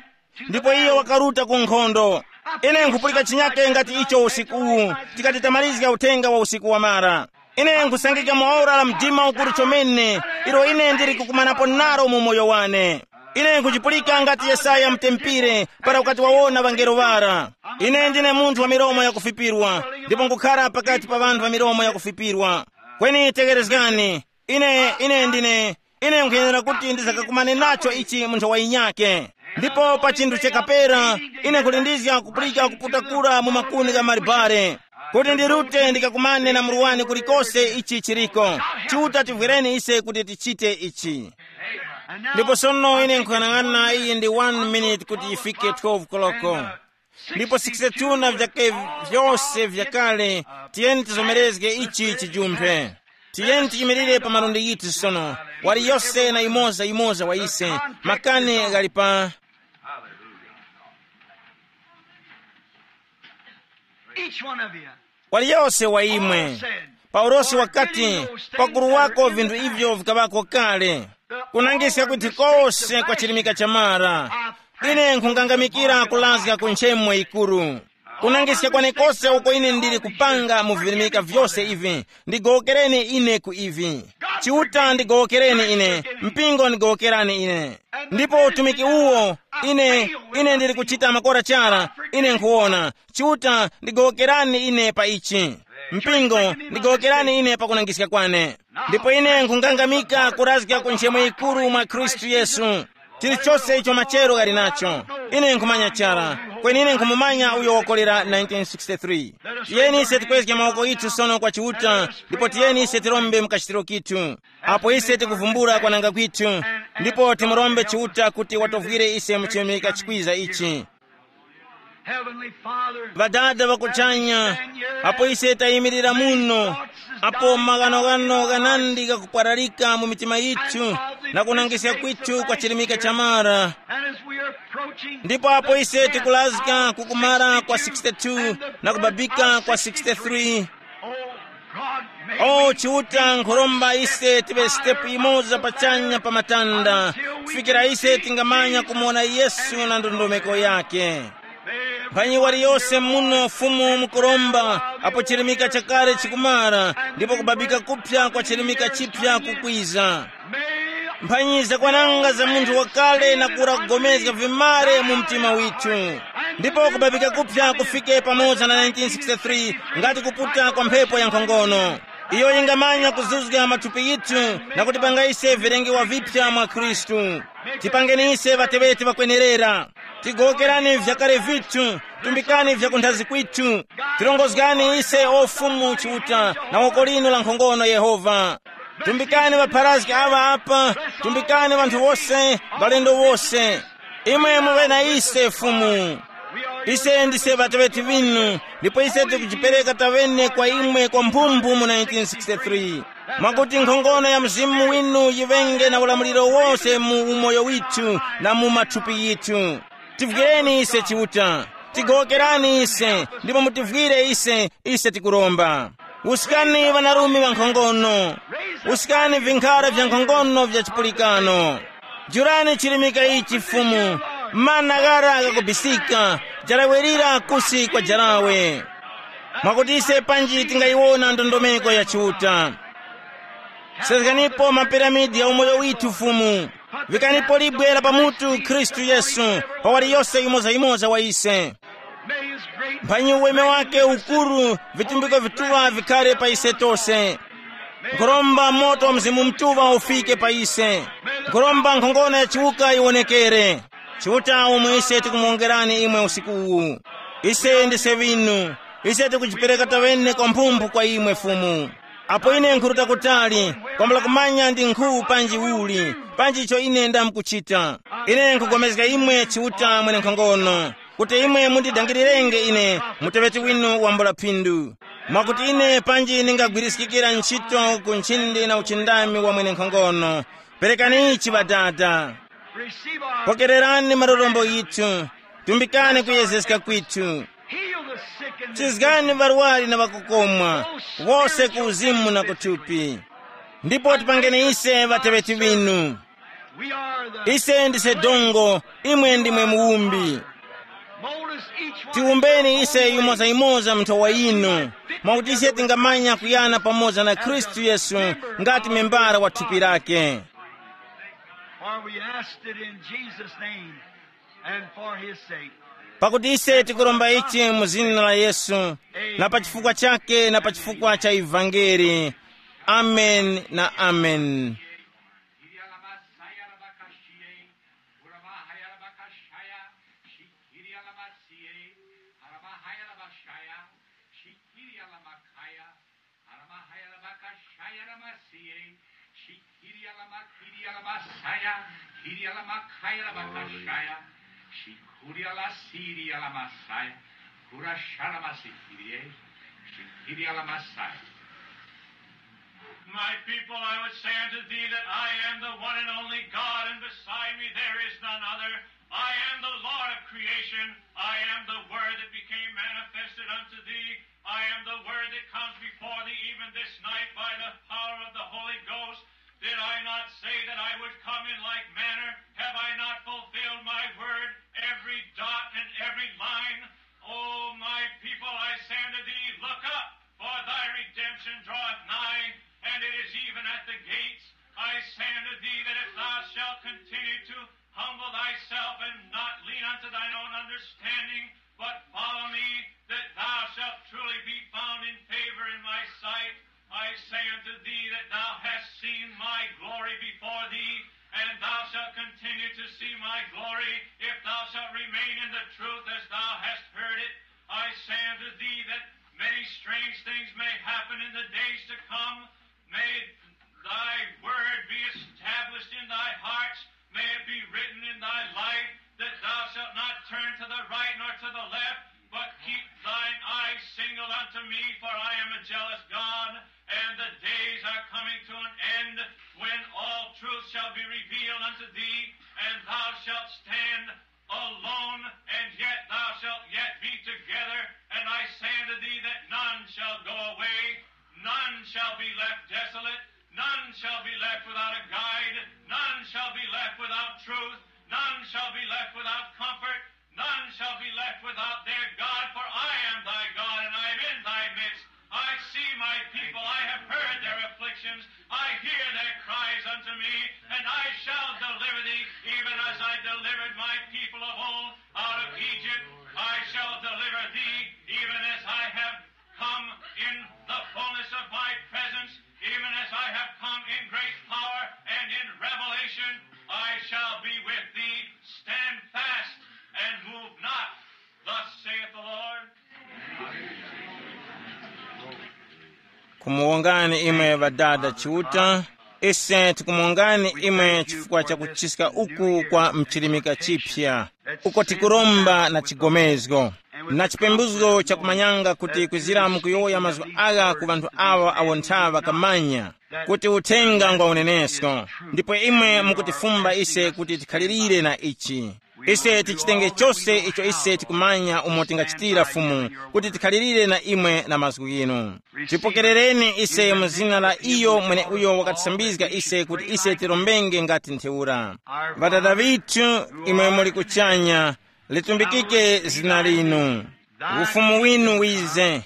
ndipo iyo wakaruta ku nkhondo. Ine nkhupulika chinyake ngati icho usiku uwu, tikati tamalizga uthenga wa usiku wamara. Ine nkhusangika mu ora la mdima ukuru chomene ilo ine ndili kukumanapo nalo mu moyo wane. Ine nkuchipulika ngati Yesaya mutempere para ukati wawona ŵangelo ŵara. Ine ndine munthu wa milomo yakufipirwa, ndipo nkukhara pakati pa ŵanthu ŵa milomo yakufipirwa. Kweni tegherezgani, ine ine ndine ine nkhuyenera kuti ndizakakumane nacho ichi mu nthawi yinyakhe. Ndipo pa chinthu chakapera, ine nkhulindizga kupulika kuputakula mu makuni gha malibare, kuti ndirute ndikakumane na murwani kulikose ichi chiriko. Chiuta tivwereni ise kuti tichite ichi. Ndipo sono ine nkuyang'ana iyi ndi one minute kuti yifike twelve koloko. Ndipo sixty-two na vyake vyose vyakale. Tiyeni tizomerezge ichi chijumphe. Tiyeni tiyimirire pa malundi yithu sono. Wali yose na imoza imoza wa ise. Makani ghali pa Each one of you. Waliyose wa imwe. Paulosi wakati, pakuru wako vinthu ivyo vikaŵako kale, kunangiska kuti kose kwa chilimika cha mara. Ine nkhukangamikira kulazga ku nchemo yikuru, kunangiska kwenekose uko ine ndili kupanga mu vilimika vyose ivi. Ndigowokereni ine ku ivi. Chiuta ndigowokereni ine. Mpingo ndigowokerani ine. Ndipo utumiki uwo, ine ine ndili kuchita makora chara. Ine nkhuwona. Chiuta, ndigowokerani ine pa ichi. Mpingo, ndigowokerani ine pa kunangiska kwane. Ndipo ine nkhungangamika kurazga ku nchemo yikuru mwa Khristu Yesu. Chilichose icho machero ghali nacho, ine nkhumanya chara. Kweni ine nkhumumanya uyo wakolera nineteen sixty-three. Tiyeni ise tikwezge mawoko yithu sono kwa Chiuta, ndipo tiyeni ise tirombe mu kachitiro kithu. Apo ise tikuvumbula kwananga kwithu, ndipo timurombe Chiuta kuti watovwire ise mu chimika chikwiza ichi. Heavenly Father, Ŵadada ŵakuchanya, apo ise tayimirira muno, apo maghanoghano ghanandi ghakupwararika mu mitima yithu, na kunangiska kwithu kwa chilimika cha mara. And as we are approaching, ndipo apo ise tikulazika kukumara kwa sixty-two na kubabika kwa sixty-three. Oh, God, may o we Chiuta, nkhuromba ise tive sitepu imoza pachanya pa matanda, kufikira ise tingamanya kumuwona Yesu na ndondomeko yake. Mphanyi waliyose muno Fumu mukuromba, apo chirimika chakale chikumara, ndipo kubabika kupya kwa chirimika chipya kukwiza. Mphanyi zakwananga za munthu wakale na kura kugomezga vimare mu mtima withu, ndipo kubabika kupya kufike pamoza na nineteen sixty-three, ngati kuputa kwa mphepo ya nkhongono. Iyo yingamanya kuzuzga mathupi yithu na kutipanga ise vilengewa vipya mwa Khristu. Tipangeni ise ŵateŵeti ŵakwenerera. Tigowokerani vyakale vithu. Tumbikani vyakunthazi kwithu. Tirongozgani ise o Fumu Chiuta na woko linu la nkhongono Yehova. Tumbikani ŵapharazgi aŵa apa. Tumbikani ŵanthu wose, ŵalendo wose. Imwe muŵe na ise Fumu. Ise ndise ŵateŵeti ŵinu, ndipo ise tikujipereka taŵene kwa imwe kwa mphumbu mu nineteen sixty-three, mwakuti nkhongono ya Mzimu winu yiŵenge na ulamuliro wose mu umoyo withu na mu mathupi yithu. Tivwireni ise Chiuta, tigowokerani ise, ndipo mutivwire ise, ise tikuromba. Usikani ŵanarume ŵa nkhongono, usikani vinkhara vya nkhongono vya chipulikano. Jurani chirimika ichi Fumu, mana ghara ghakubisika, jarawerira kusi kwa jarawe. Mwakuti ise panji tingayiwona ndondomeko ya Chiuta. Sezganipo mapiramidi ya umoyo withu Fumu. Vikanipo libwe la pamutu Khristu Yesu, pa waliyose yimoza-yimoza wa ise. Mphanyi uweme wake ukuru, vitumbiko vituŵa vikhare pa ise tose. Nkhuromba moto wa Mzimu Mutuŵa ufike pa ise. Nkhuromba nkhongono ya chiwuka yiwonekere. Chiuta, umo ise tikumuwongerani imwe usiku uwu. Ise ndise ŵinu. Ise tikujipereka taŵene kwa mphumphu kwa imwe Fumu. Apo ine nkhuruta kutali, kwambula kumanya ndi nkhu panji uli, panji icho ine ndamkuchita. Ine nkhupulikana imwe Chiuta mwenenkhongono, kuti imwe mundidangilirenge ine, muteŵeti winu wambula phindu. Mwakuti ine panji ningagwiriskikira ntchito ku nchindi na uchindami wa mwenenkhongono. Perekani ichi Ŵadada. Receive our pokererani malolombo yithu. Tumbikani kuyezeska kwithu. Heal the sick and the chizgani varwari na vakukomwa, wose ku uzimu na kuthupi. Ndipo tipangeni ise ŵateŵeti vinu. We are the ise ndise dongo, imwe ndimwe muwumbi. Mold us each one. Tiwumbeni ise yumoza-yumoza mnthowa inu, mwakuti ise tingamanya kuyana pamoza na Khristu Yesu, ngati membara wa thupi lake. For we asked it in Jesus' name and for his sake. Pakuti ise tikuromba ichi mu zina la Yesu, na pa chifukwa chake na pa chifukwa cha ivangeli. Amen na amen. Shikiri alamakiri alamasaya, kiri alamakaya alamakashaya, shikuri alasiri alamasaya, kurashara masikiri, shikiri alamasaya. My people, I would say unto thee that I am the one and only God, and beside me there is none other. I am the Lord of creation. I am the Word that became manifested unto thee. I am the Word that comes before thee even this night by the power of the Holy Ghost. Did I not say that I would come in like manner? Have I not fulfilled my word, every dot and every line? O my people, I say unto thee, look up, for thy redemption draweth nigh, and it is even at the gates. I say unto thee that if thou shalt continue to humble thyself and not lean unto thine own understanding, but follow me, that thou shalt truly be found in favor in my sight. I say unto thee that thou hast seen my glory before thee, and thou shalt continue to see my glory, if thou shalt remain in the truth as thou hast heard it. I say unto thee that many strange things may happen in the days to come. May thy word be established in thy hearts. May it be written in thy life that thou shalt not turn to the right nor to the left, but keep thine eyes single unto me, for I am a jealous God, and the days are coming to an end when all truth shall be revealed unto thee, and thou shalt stand alone, and yet thou shalt yet be together. And I say unto thee that none shall go away, none shall be left desolate, none shall be left without a guide, none shall be left without truth, none shall be left without comfort, none shall be left without their God, for I am thy God, and I am in thy midst. I see my people, I have heard their afflictions, I hear their cries unto me, and I shall deliver thee, even as I delivered my people of old out of Egypt. I shall deliver thee, even as I have come in the fullness of my presence, even as I have come in great power and in revelation. I shall be with thee. Stand fast and move not. Thus saith the Lord. Kumuwongani imwe ŵadada Chiuta. Ise tikumuwongani imwe chifukwa cha kuchiska uku kwa mchilimika chipya, uko tikuromba na chigomezgo na chipembuzo chakumanyanga kuti kwizira mukuyowoya mazgu agha ku ŵanthu awa awo nthaŵa kamanya kuti uthenga ngwa unenesko. Ndipo imwe mukutifumba ise kuti tikhalirire na ichi. Ise tichitenge chose icho ise tikumanya umo tingachitira Fumu, kuti tikhalirire na imwe na mazgu ghinu. Tipokerereni ise mu zina la iyo mwene uyo wakatisambizga ise kuti ise tirombenge ngati ntheura. Ŵadada ŵithu, imwe muli kuchanya, litumbikike zina linu. Ufumu winu wize.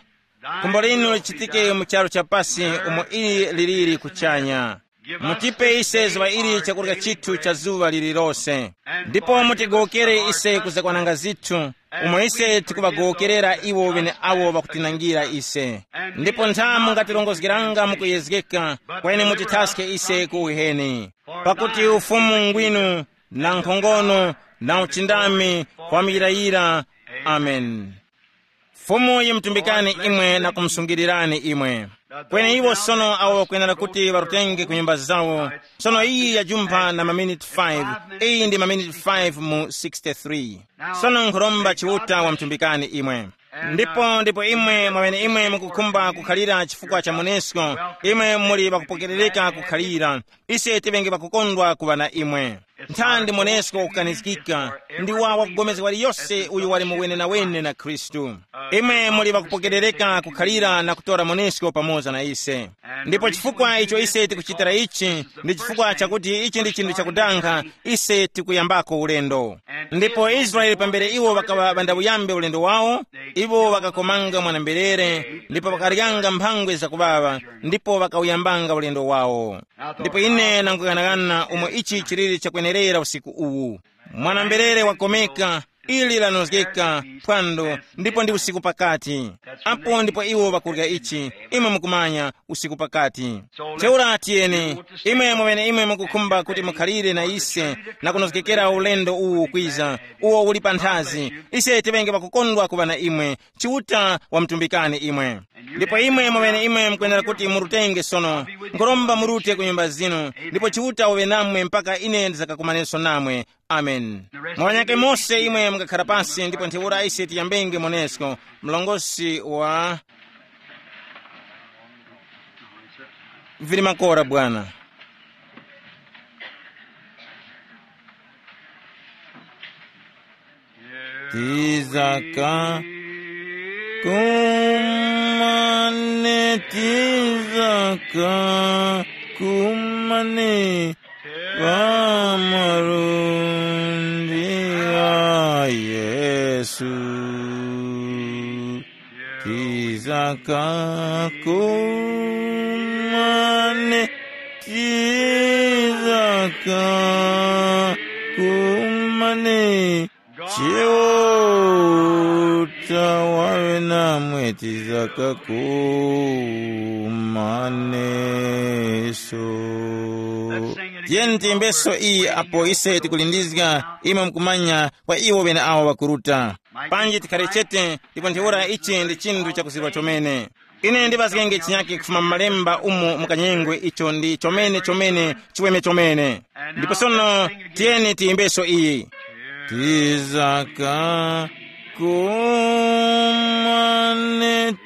Khumbo linu lichitike mu charu cha pasi umo ili liliri kuchanya. Mutipe ise zuŵa ili chakurya chithu cha zuŵa lililose. Ndipo mutigowokere ise kuzakwananga zithu, umo ise tikuŵagowokerera iwo ŵeneawo ŵakutinangira ise. Ndipo ntha mungatirongozgeranga mukuyezgeka, kweni mutithaske ise ku uheni. Pakuti ufumu ngwinu, na nkhongono, na uchindami, kwa muyirayira. Amen. Fumu yimutumbikani imwe na kumusungirirani imwe. Kweni iwo sono awo ŵakwenera kuti ŵarutenge ku nyumba zawo. Sono iyi yajumpha na maminiti five. Iyi ndi maminiti five mu sixty-three. Sono nkhuromba Chiuta wamutumbikani imwe. Ndipo ndipo imwe mwamene imwe mukukhumba kukhalira chifukwa cha monesko, imwe muli ŵakupokerereka kukhalira. Ise tiŵenge ŵakukondwa kuŵa na imwe. Nthandi monesko kukanizgika, ndi wawa kugomezga waliyose uyo wali muwenenawene na Khristu. Imwe muli ŵakupokerereka kukhalira na kutora monesko pamoza na ise. Ndipo chifukwa icho ise tikuchitira ichi, ndi chifukwa chakuti ichi ndi chinthu chakudankha, ise tikuyambako ulendo. Ndipo Israele pambere iwo ŵakaŵa ŵandawuyambe ulendo wawo, iwo ŵakakomanga mwana-mberere ndipo ŵakaryanga mphangwe zakuŵaŵa, ndipo ŵakawuyambanga ulendo wawo. Ndipo ine nangughanagana umo ichi chiliri chakwenerera usiku uwu. Mwana-mberere wakomeka, ili lanozgeka, phwando, ndipo ndi usiku pakati. Apo ndipo iwo ŵakurya ichi, imwe mukumanya, usiku pakati. Ntheura tiyeni, imwe mweneimwe mukukhumba kuti mukhalire na ise na kunozgekera ulendo uwu ukwiza, uwo uli panthazi, ise tiŵenge ŵakukondwa kuŵa na imwe. Chiuta wamutumbikani imwe. Ndipo imwe mweneimwe mukwenera kuti murutenge sono. Nkhuromba murute ku nyumba zinu, ndipo Chiuta uŵe namwe mpaka ine ndizakakumaneso namwe. Amen. Mwanyake mose imwe mungakhara pasi ndipo ntheura ise tiyambenge monesko. Mlongosi wa vili makora bwana. Tizaka kumane, tizaka kumane, pa malundi gha Yesu. Tizaka kumane, tizaka kumane, Chiuta waŵe namwe, tizaka kumaneso. Tiyeni tiyimbeso iyi apo ise tikulindizga imwe mukumanya kwa iwo ŵeneawo ŵakuruta. Panji tikhare chete, ndipo ntheura ichi ndi chinthu chakuzirwa chomene. Ine ndiŵazgenge chinyake kufuma mu malemba umo mukanyengwe icho ndi chomene chomene chiweme chomene. Ndipo sono tiyeni tiyimbeso iyi. Tizaka kumane,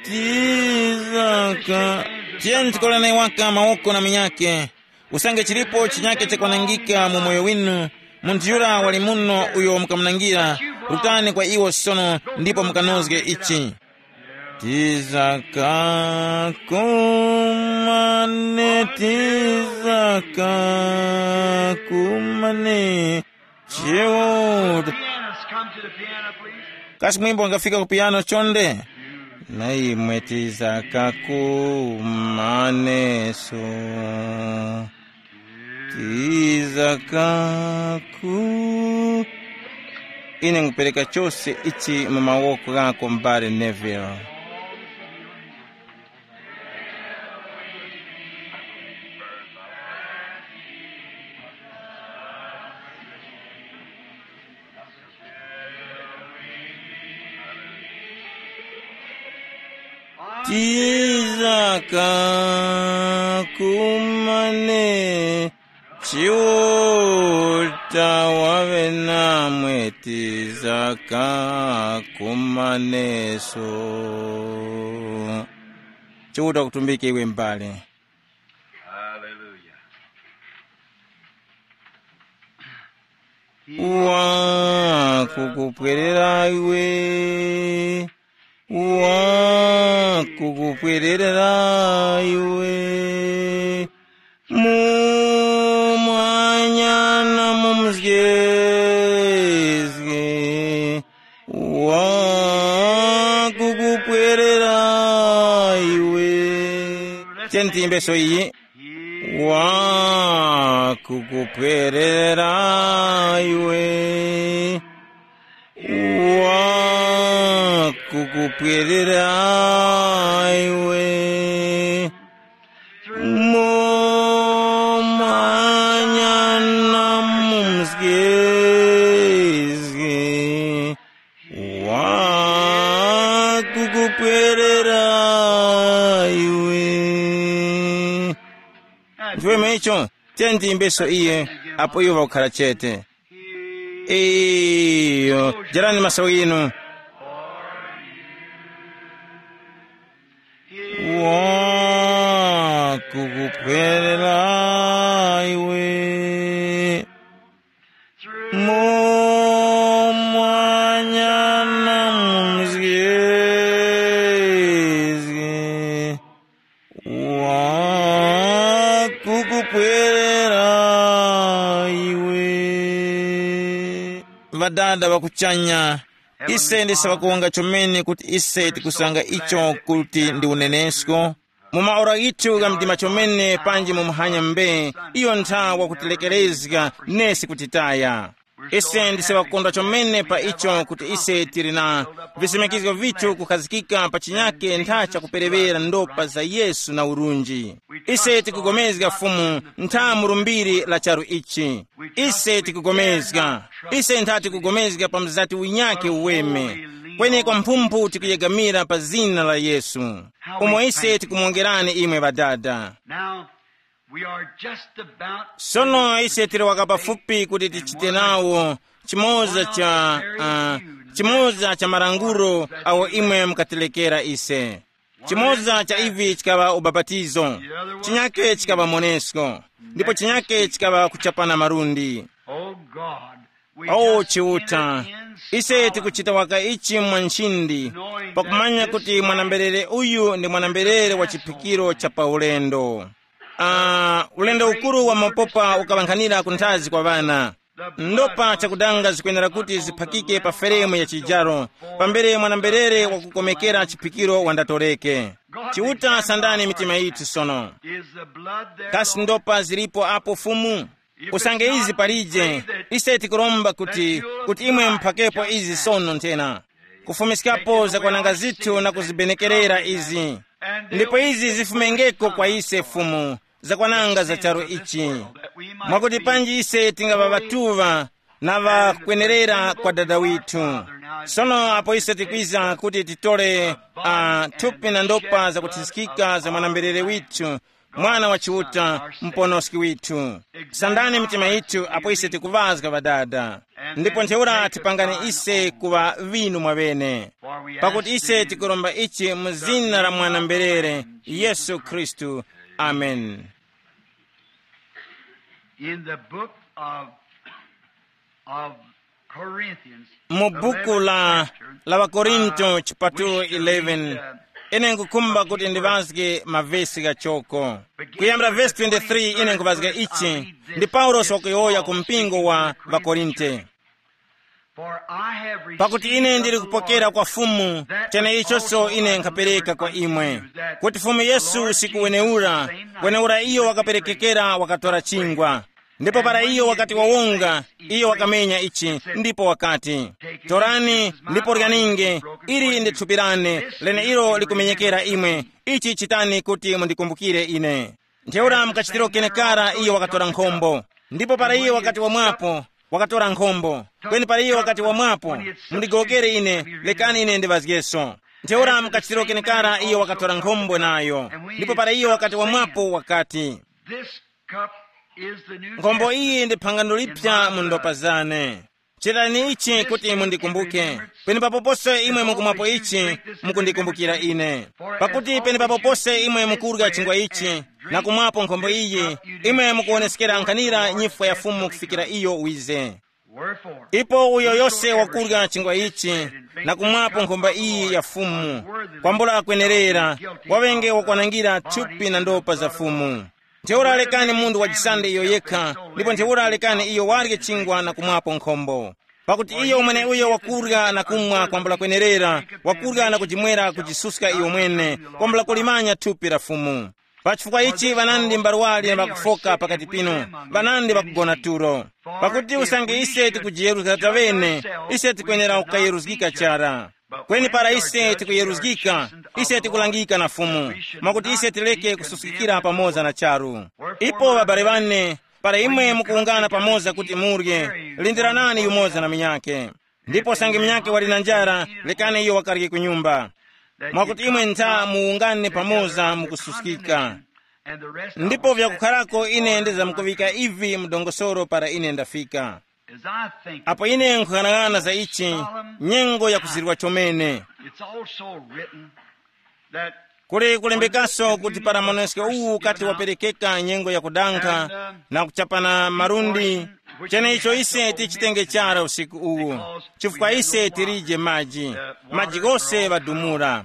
tizaka. Tiyeni tikolane waka mawoko na munyake. Usange chilipo chinyake chakwanangika mu moyo winu, munthu yura wali muno uyo mukamunangira, rutani kwa iwo sono ndipo mukanozge ichi. Tizaka kumane, tizaka kumane. Chiuta. Pianist, come to the piano, please. Kasi mwimbo wangafika ku piano chonde? Na imwe tizaka kumaneso. Tizaka ku Ine nkupereka chose ichi mu mawoko ghako, m'bale Neville. Tizaka kumane, Chiuta waŵe namwe, tizaka kumaneso. Chiuta kutumbike iwe m'bale. Hallelujah. Wakukupwerera iwe, wakukupwerera iwe, mu mwanya na mu mzgezge, wakukupwerera iwe. Tiyeni tiyimbeso iyi. Wakukupwerera iwe, wakukupwerera iwe, mu mwanya na mu mzgezge, wakukupwerera iwe. Ndiweme icho, tiyeni tiyimbeso iye, apo iwo ŵakukhala chete. Iyo, jarani maso ghinu. Wakukupwerera iwe, mu mwanya na mu mzgezge, wakukupwerera iwe. Ŵadada ŵa kuchanya, ise ndise ŵakuwonga chomene kuti ise tikusanga icho kuti ndi unenesko. Mu maora ghithu gha mdima chomene panji mu muhanya mbe, iyo ntha wakutilekerezga nesi kutitaya. Ise ndise ŵakukondwa chomene pa icho kuti ise tili na visimikizgo vithu kukhazikika pa chinyake ntha chakuperewera ndopa za Yesu na urunji. Ise tikugomezga Fumu ntha mu lumbiri la charu ichi. Ise tikugomezga. Ise ntha tikugomezga pa mzati winyake uweme. Kweni kwa mphumphu tikuyegamira pa zina la Yesu, umo ise tikumuwongerani imwe ŵadada. Now, we are just about sono ise tili wakapafupi kuti tichite nawo chimoza cha uh, chimoza cha malangulo awo imwe mukatilekera ise. Chimoza cha ivi chikaŵa ubapatizo, chinyake chikaŵa monesko, ndipo chinyake chikaŵa kuchapana malundi. Oh God, we o just Chiuta, enter in ise solemn, tikuchita waka ichi mwa nchindi, pakumanya kuti mwanamberere uyu ndi mwanamberere wa chiphikiro cha paulendo. Uh, ulendo ukuru wa mapopa ukaŵankhanira kunthazi kwa ŵana. Ndopa chakudanga zikwenera kuti ziphakike pa feremu ya chijaro, pambere mwanamberere wakukomekera chiphikiro wandatoreke. Chiuta, sandani mitima yithu sono. Kasi ndopa zilipo apo Fumu? Usange izi palije, ise tikuromba kuti kuti imwe muphakepo izi sono nthena, kufumiskapo zakwananga zithu na kuzibenekerera izi. Ndipo izi zifumengeko kwa ise Fumu, zakwananga za charu ichi, mwakuti panji ise tingaŵa ŵatuŵa na ŵakwenerera kwa Dada withu. Sono apo ise tikwiza kuti titole uh, thupi na ndopa zakuthiskika za mwanamberere withu, Mwana wa Chiuta, Muponoski withu. Sandani mitima yithu apo ise tikuŵazga Ŵadada, ndipo ntheura tipangani ise kuŵa ŵinu mwaŵene, pakuti ise tikuromba ichi mu zina la mwanamberere Yesu Khristu. Amen. In the book of, of Corinthians, mu buku la la Wakorinto chipatulo eleven, ine nkukhumba kuti ndiŵazge mavesi ghachoko, kuyambira vesi twenty-three. Ine nkuŵazga ichi, ndi Paulosi wakuyowoya ku mpingo wa Ŵakorinte. Pakuti ine ndili kupokera kwa Fumu cheneichoso ine nkhapereka kwa imwe, kuti Fumu Yesu usiku wenewura, wenewura iyo wakaperekekera wakatora chingwa, ndipo para iyo wakati wawonga, iyo wakamenya ichi, ndipo wakati, torani ndipo ryaninge, ili ndi thupi lane, leneilo likumenyekera imwe, ichi chitani kuti mundikumbukire ine. Ntheura mukachitiro kenekara iyo wakatora nkhombo, ndipo para iyo wakati wamwapo, wakatora nkhombo, kweni para iyo wakati wamwapo, mundigowokere ine, lekani ine ndiŵazgeso. Ntheura mukachitiro kenekara iyo wakatora nkhombo nayo, ndipo para iyo wakati wamwapo wakati, this cup is the new nkhombo iyi ndi phangano lipya mu ndopa zane. Chitani ichi kuti mundikumbuke. Penepapo pose imwe mukumwapo ichi, mukundikumbukira ine. Pakuti penepapo pose imwe mukurya chingwa ichi na kumwapo nkhombo iyi, imwe mukuwoneskera nkhanira nyifwa ya Fumu kufikira iyo wize. Ipo uyo yose wakurya chingwa ichi na kumwapo nkhombo iyi ya Fumu, kwambula akwenerera, wawenge wakwanangira thupi na ndopa za Fumu. Ntheura lekani munthu wachisande iyo yekha, ndipo ntheura lekani iyo warye chingwa na kumwapo nkhombo. Pakuti iyo mweneuyo wakurya na kumwa kwambula kwenerera, wakurya na kujimwera kujisuska iyo mwene, kwambula kulimanya thupi la Fumu. Pa chifukwa ichi ŵanandi mbarwali na ŵakufoka pakati pinu, ŵanandi ŵakugona tulo. Pakuti usange ise tikujiyeruzga taŵene, ise tikwenera kukayeruzgika chara. Kweni para ise tikuyeruzgika, ise tikulangika na Fumu, mwakuti ise tileke kususkikira pamoza na charu. Ipo ŵabale ŵane, para imwe mukuwungana pamoza kuti murye, lindiranani yumoza na munyakhe. Ndipo sange munyakhe wali na njara, lekani iyo wakarye ku nyumba, mwakuti imwe ntha muwungane pamoza mukususkika. Ndipo vyakukharako ine ndizamkuŵika ivi mu dongosolo para ine ndafika. Apo ine nkhung'anang'ana za ichi, nyengo yakuzirwa chomene. It's also written that kuli kulembekaso kuti para maonesko uwu ukati waperekeka nyengo yakudankha na kuchapana malundi, cheneicho ise tichitenge chara usiku uwu, chifukwa ise tilije maji, maji ghose ŵadumula.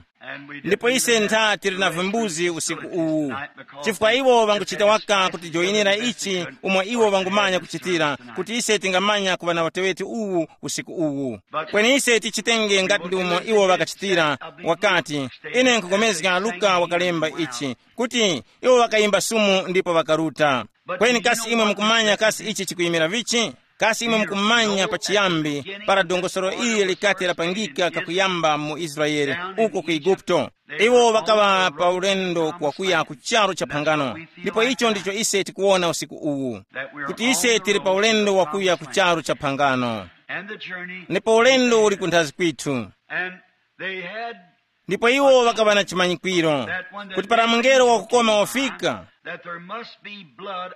Ndipo ise ntha tili na vimbuzi usiku uwu, chifukwa iwo ŵanguchita waka kutijoyinira ichi umo iwo ŵangumanya kuchitira, kuti ise tingamanya kuŵa na uteŵeti uwu usiku uwu. Kweni ise tichitenge ngati ndi umo iwo ŵakachitira, wakati, ine nkupulikana Luka wakalemba ichi, kuti iwo ŵakayimba sumu ndipo ŵakaruta. Kweni kasi imwe mukumanya kasi ichi chikuyimira vichi? Kasi imwe mukumanya pachiyambi para dongosolo ili likati lapangika kakuyamba mu Israele, uko ku Eguputo? Iwo ŵakaŵa pa ulendo wakuya ku charu cha phangano. Ndipo icho ndicho ise tikuwona usiku uwu, kuti ise tili pa ulendo wakuya ku charu cha phangano. Ndipo ulendo uli kunthazi kwithu. Ndipo iwo ŵakaŵa na chimanyikwiro kuti para mungelo wakukoma wafika,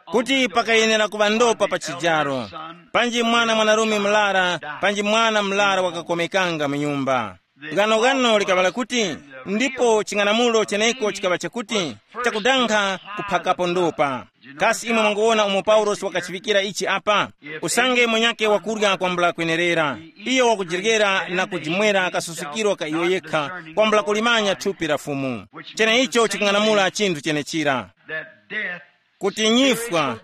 kuti pakayenera kuŵa ndopa pa chijaro, panji mwana mwanarume mlara, panji mwana mlara wakakomekanga mu nyumba. Gano gano likaŵa kuti, ndipo ching'anamulo cheneko chikaŵa chakuti, chakudankha kuphakapo ndopa. Kasi imwe mwanguwona umo Paulosi wakachiŵikira ichi apa? Usange mwenyake wakurya kwambula kwenerera, iyo wakujiryera na kujimwera kasusukiro ka iyo yekha, kwambula kulimanya thupi la Fumu. Cheneicho chikung'anamula chinthu chenechira, kuti nyifwa,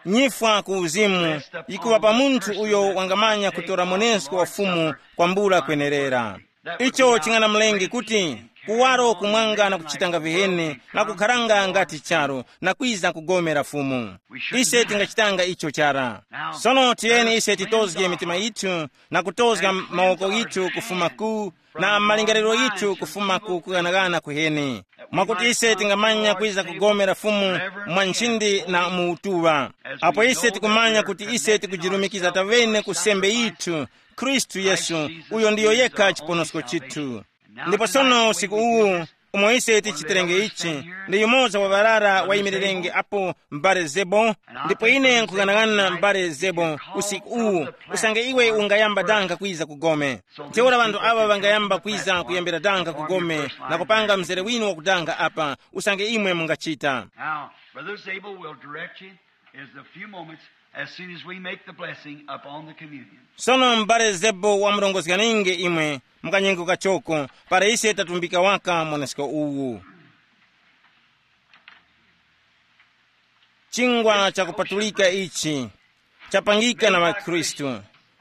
nyifwa ku uzimu, yikuŵa pa munthu uyo wangamanya kutora monesko wa Fumu kwambula kwenerera. Icho ching'anamulenge kuti kuwaro kumwanga na kuchitanga viheni na kukharanga ngati charu na kwiza kugomera Fumu. Ise tingachitanga icho chara. Sono tiyeni ise titozge mitima yithu na kutozga mawoko yithu kufuma ku na malingaliro yithu kufuma ku kughanaghana kuheni, mwakuti ise tingamanya kwiza kugomera Fumu mwa nchindi na mu utuŵa. Apo ise tikumanya kuti ise tikujirumikiza tawene ku sembe yithu, Khristu Yesu, uyo ndiyo yekha chiponosko chithu. Ndipo sono usiku uwu, umo ise tichiterenge ichi, ndi yumoza wa ŵarara wayimirirenge apo, m'bale Zebo. Ndipo ine nkughanagana m'bale Zebo usiku uwu, usange iwe ungayamba danga kwiza ku gome. Ntheura ŵanthu aŵa ŵangayamba kwiza kuyambira danga ku gome na kupanga mzere winu wakudanga apa, usange imwe mungachita. Now, Brother Zabel will direct you in a few moments as soon as we make the blessing upon the communion. Sono m'bale Zebo wamurongozganinge imwe mukanyengo kachoko, para ise tatumbika waka mwanesko uwu. Chingwa chakupatulika ichi chapangika na ŵakhristu.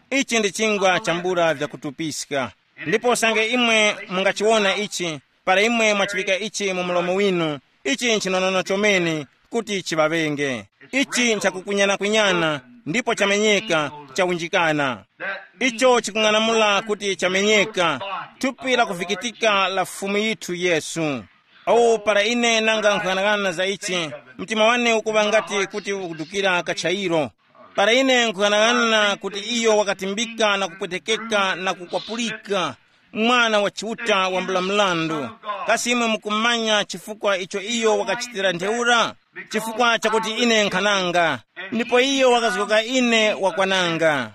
Ichi ndi chingwa chambula vyakutupiska. Ndipo usange imwe mungachiwona ichi, para imwe mwachiŵika ichi mu mlomo winu, ichi nchinonono chomene kuti chiŵaŵenge. Ichi nchakukunyana-kunyana, ndipo chamenyeka, chawunjikana. Icho chikung'anamula kuti chamenyeka, thupi lakuvikitika la Fumu yithu Yesu. Awo para ine nanga nkhughanaghana za ichi, mtima wane ukuŵa ngati kuti ukudukira kachayiro. Para ine nkhughanaghana kuti iyo wakatimbika na kupwetekeka na kukwapulika, Mwana wa Chiuta wambula mrandu. Kasi imwe mukumanya chifukwa icho iyo wakachitira ntheura? Chifukwa chakuti ine nkhananga, ndipo iyo wakazgoka ine wakwananga,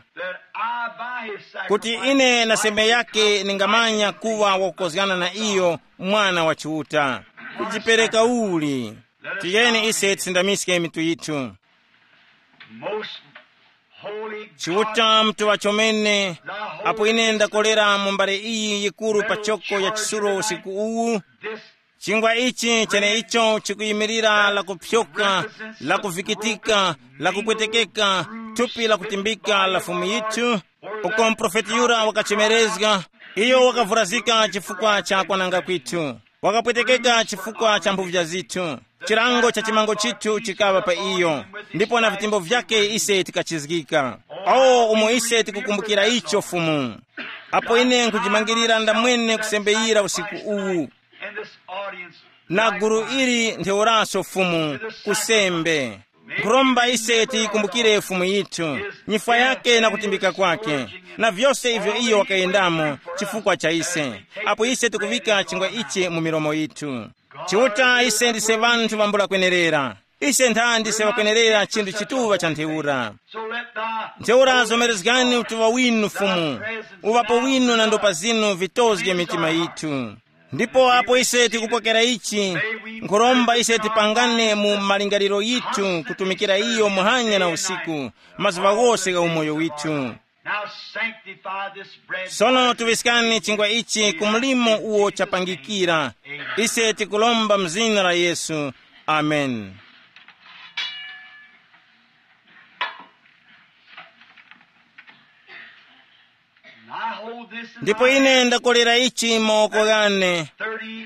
kuti ine na sembe yake ningamanya kuŵa wakukozgana na iyo, Mwana wa Chiuta. Kujipereka uli. Tiyeni ise tisindamiske mitu yithu. Most holy Chiuta God, mtuŵa chomene, apo ine ndakolera mu mbale iyi yikuru pa choko ya chisulo usiku uwu, this chingwa ichi cheneicho chikuyimirira la kupyoka, la kuvikitika, la kupwetekeka, thupi la kutimbika la Fumu yithu, uko muprofeti yura wakachemerezga, iyo wakavurazika chifukwa cha kwananga kwithu, wakapwetekeka chifukwa cha mphuvya zithu. Chilango cha chimango chithu chikaŵa pa iyo, ndipo na vitembo vyake ise tikachizgika. O, umo ise tikukumbukira icho, Fumu. Apo ine nkujimangirira ndamwene kusembeyira usiku uwu, in this audience, na gulu ili ntheuraso, Fumu, kusembe. Nkhuromba ise tiyikumbukire Fumu yithu, nyifwa yake na kutimbika kwake, na vyose ivyo iyo wakayendamo chifukwa cha ise. Apo ise tikuŵika chingwa ichi mu milomo yithu. Chiuta, ise ndise ŵanthu ŵambula kwenerera. Ise ntha ndise ŵakwenerera chinthu chituŵa cha ntheura. Ntheura zomerezgani utuŵa winu, Fumu, uŵapo winu na ndopa zinu vitozge mitima yithu. Ndipo apo ise tikupokera ichi, nkhuromba ise tipangane mu malingaliro yithu kutumikira iyo muhanya na usiku, mazuŵa ghose gha umoyo withu. Now sanctify this bread. Sono tuŵiskani chingwa ichi ku mlimo uwo chapangikira. Ise tikulomba mu zina la Yesu. Amen. And I hold this in ndipo my ine hand. Ndakolera Ichi m'mawoko ghane.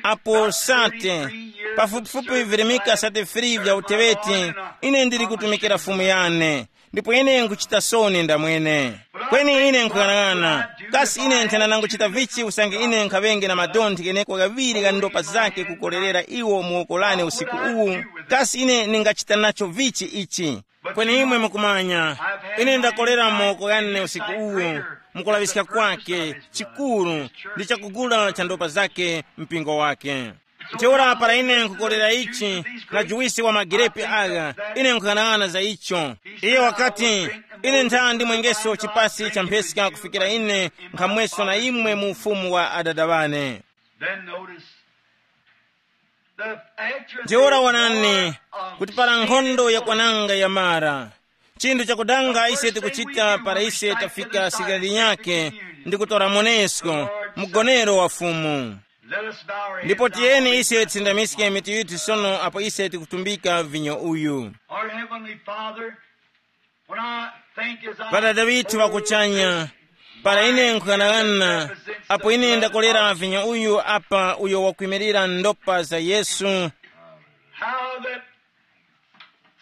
Apo sate, pafupifupi virimika sate free vya uteweti, ine ndili kutumikira Fumu yane. Ndipo ine nkuchita soni ndamwene. Kweni ine nkhuyang'ana, kasi ine nthena nanguchita vichi usange ine nkhaŵenge na madonthe gheneko ghaŵiri gha ndopa zake kukolerera iwo mu woko lane usiku uwu? Kasi ine ningachita nacho vichi ichi? Kweni imwe mukumanya, ine ndakolera moko ghane usiku uwu, mukulaŵiska kwake chikuru ndi chakugula cha ndopa zake mpingo wake. Ntheura para ine nkukolera ichi na juwisi wa magirepi agha, ine nkhuyang'ana za icho. Iye wakati, ine ntha ndimwengeso chipasi cha mpheska kufikira ine nkhamweso na imwe mu ufumu wa adada ŵane. Then notice the after Ntheura the wonani war of kuti para nkhondo ya kwananga yamara, chinthu chakudanga ise tikuchita para ise tafika sikali nyake ndi kutora monesko, mgonero wa Fumu. Let us bow our heads Ndipo now tiyeni while we ise sing. Tisindamiske mitu yithu sono apo ise tikutumbika vinyo uyu. Our Heavenly Father, when I think as I Pada Davidi wakuchanya, para ine nkuyang'ana, apo ine ndakolera vinyo uyu apa uyo wakwimirira ndopa za Yesu, how that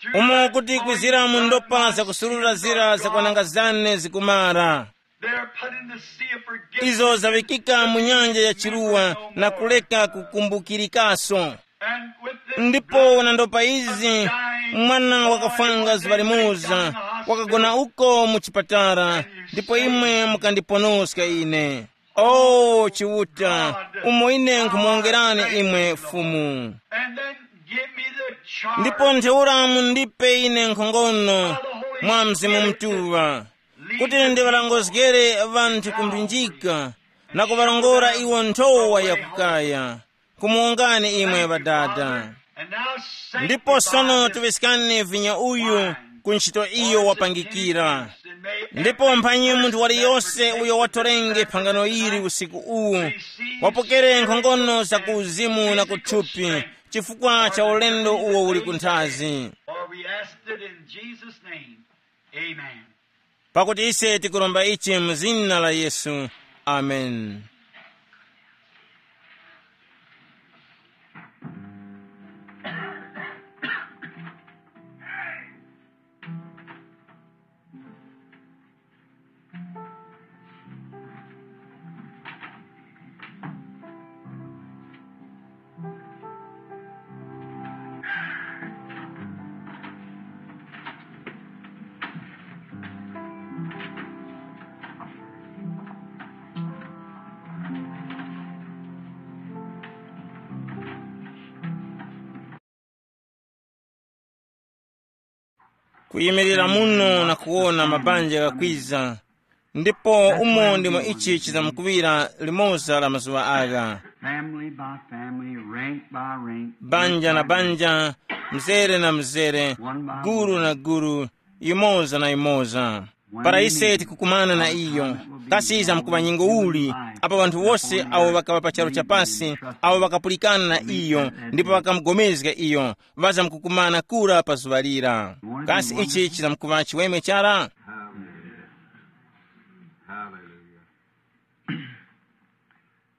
through umo that kuti oil kwizira mu ndopa za kusulula zira za kwananga zane zikumara. They are put in the sea of forgiveness. Izo zaŵikika mu nyanja ya chiruwa na kuleka kukumbukirikaso. And with this Ndipo na ndopa izi, mwana wakafwanga zuŵa limoza, wakagona uko mu chipatala, ndipo imwe mukandiponoska ine. O Chiuta, umo ine nkhumuwongerani imwe Fumu. And then give me the charge. Ndipo ntheura mundipe ine nkhongono mwa Mzimu Mutuŵa, kuti ndiŵalongozgere ŵanthu ku mphinjika na kuŵarongora iwo nthowa yakukaya. Kumuwongani imwe Ŵadada. And now sanctify Ndipo sono this tiŵiskani vinyo uyu ku ntchito iyo wapangikira. Ndipo mphanyi munthu waliyose uyo watorenge phangano ili usiku uwu, wapokere nkhongono za ku uzimu na kuthupi, chifukwa cha ulendo uwo uli kunthazi. For we asked it in Jesus' name. Amen. Pakuti ise tikuromba ichi mu zina la Yesu. Amen. Kuyimirira muno na kuwona mabanja ghakwiza, ndipo umo ndimo ichi chizamkuŵira limoza la mazuŵa agha. Family by family, rank by rank, banja na banja, mzere na mzere, guru na guru, yimoza na yimoza. Para ise tikukumana na iyo, kasi izamkuŵa nyengo uli, apa ŵanthu wose awo ŵakaŵa pa charu cha pasi, awo ŵakapulikana na iyo ndipo ŵakamugomezga iyo, ŵazamkukumana kura pa zuŵa lira? Kasi ichi chizamkuŵa chiweme chara? Hallelujah.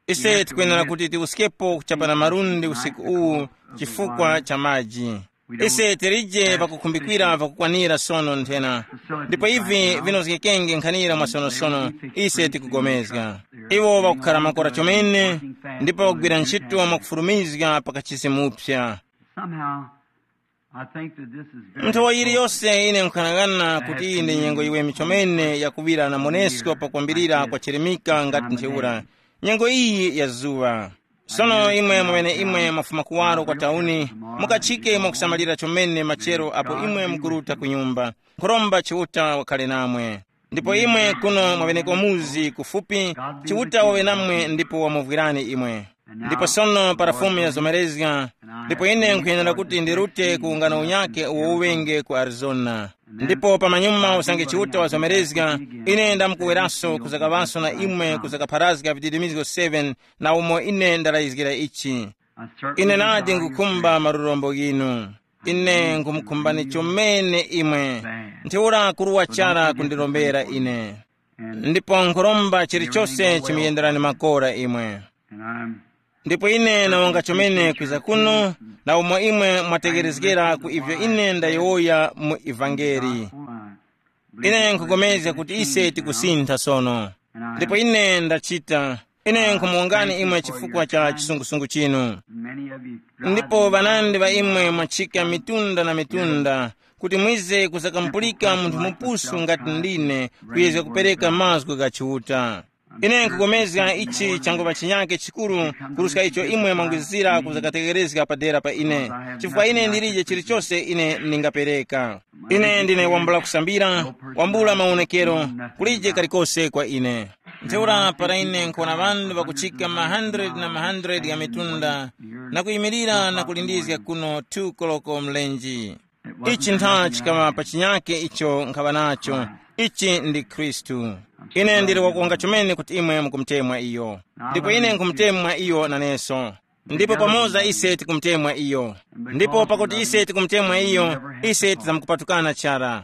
Ise tikwenera kuti tiwuskepo kuchapa na malundi usiku uwu chifukwa cha maji. Ise tilije pakukhumbikira pakukwanira sono nthena, ndipo ivi vinozgekenge nkhanira mwasonosono. Ise tikugomezga iwo ŵakukhala makora chomene, ndipo ŵakugwira ntchito mwakufulumizga pa kachisi mupsa. Somehow, I think that this is very Nthowa yiliyose ine nkhanang'ana kuti iyi ndi nyengo yiweme chomene yakuŵira na monesko pakwambirira kwa chirimika ngati ntheura. Nyengo iyi ya zuŵa. Sono imwe mwamene imwe mwafuma kuwaro kwa tauni, mukachike mwakusamalira chomene machero apo imwe mukuruta ku nyumba. Nkhuromba Chiuta wakhale namwe. Ndipo imwe kuno mwaŵeneko muzi kufupi, Chiuta waŵe namwe ndipo wamuvwirani imwe. Ndipo sono para Fumu yazomerezga, ndipo ine nkhuyenera kuti ndirute ku ungano unyake uwo uŵenge ku Arizona. Ndipo pamanyuma usange Chiuta wazomerezga, ine ndamkuweraso kuzakaŵaso na imwe kuzakapharazga vididimizgo seven na umo ine ndalayizgira ichi. Ine nadi nkhukhumba malurombo ghinu. Ine nkhumukhumbani chomene imwe. Ntheura kuruwa chara kundirombera ine. Ndipo nkhuromba chilichose chimuyenderani makora imwe. Ndipo ine nawonga chomene kwiza kuno, na umo imwe mwategherezgera ku ivyo ine ndayowoya mu ivangeli. Ine nkhupulikana kuti ise tikusintha sono. Ndipo ine ndachita, ine nkhumuwongani imwe chifukwa cha chisungusungu chinu. Ndipo ŵanandi ŵa imwe mwachika mitunda na mitunda, kuti mwize kuzakamupulika munthu mupusu ngati ndine, kuyezga kupereka mazgu gha Chiuta. Ine nkupulikana ichi changuŵa chinyake chikuru, kuruska icho imwe mwangwizira kuzakatekerezga padera pa ine, chifukwa ine ndilije chilichose ine ndingapereka. Ine ndine wambula kusambira, wambula mawonekero, kulije kalikose kwa ine. Ntheura para ine nkuwona ŵanthu ŵakuchika ma hundred na ma hundred gha mitunda, na kuyimirira na kulindizga kuno two koloko mlenji. Ichi ntha chikaŵa pa chinyake icho nkhaŵa nacho. Ichi ndi Khristu. Ine ndili wakuwonga chomene kuti imwe mukumutemwa iyo. Ndipo ine nkhumutemwa iyo naneso. Ndipo pamoza ise tikumutemwa iyo. Ndipo pakuti ise tikumutemwa iyo, ise tizamukupatukana chara.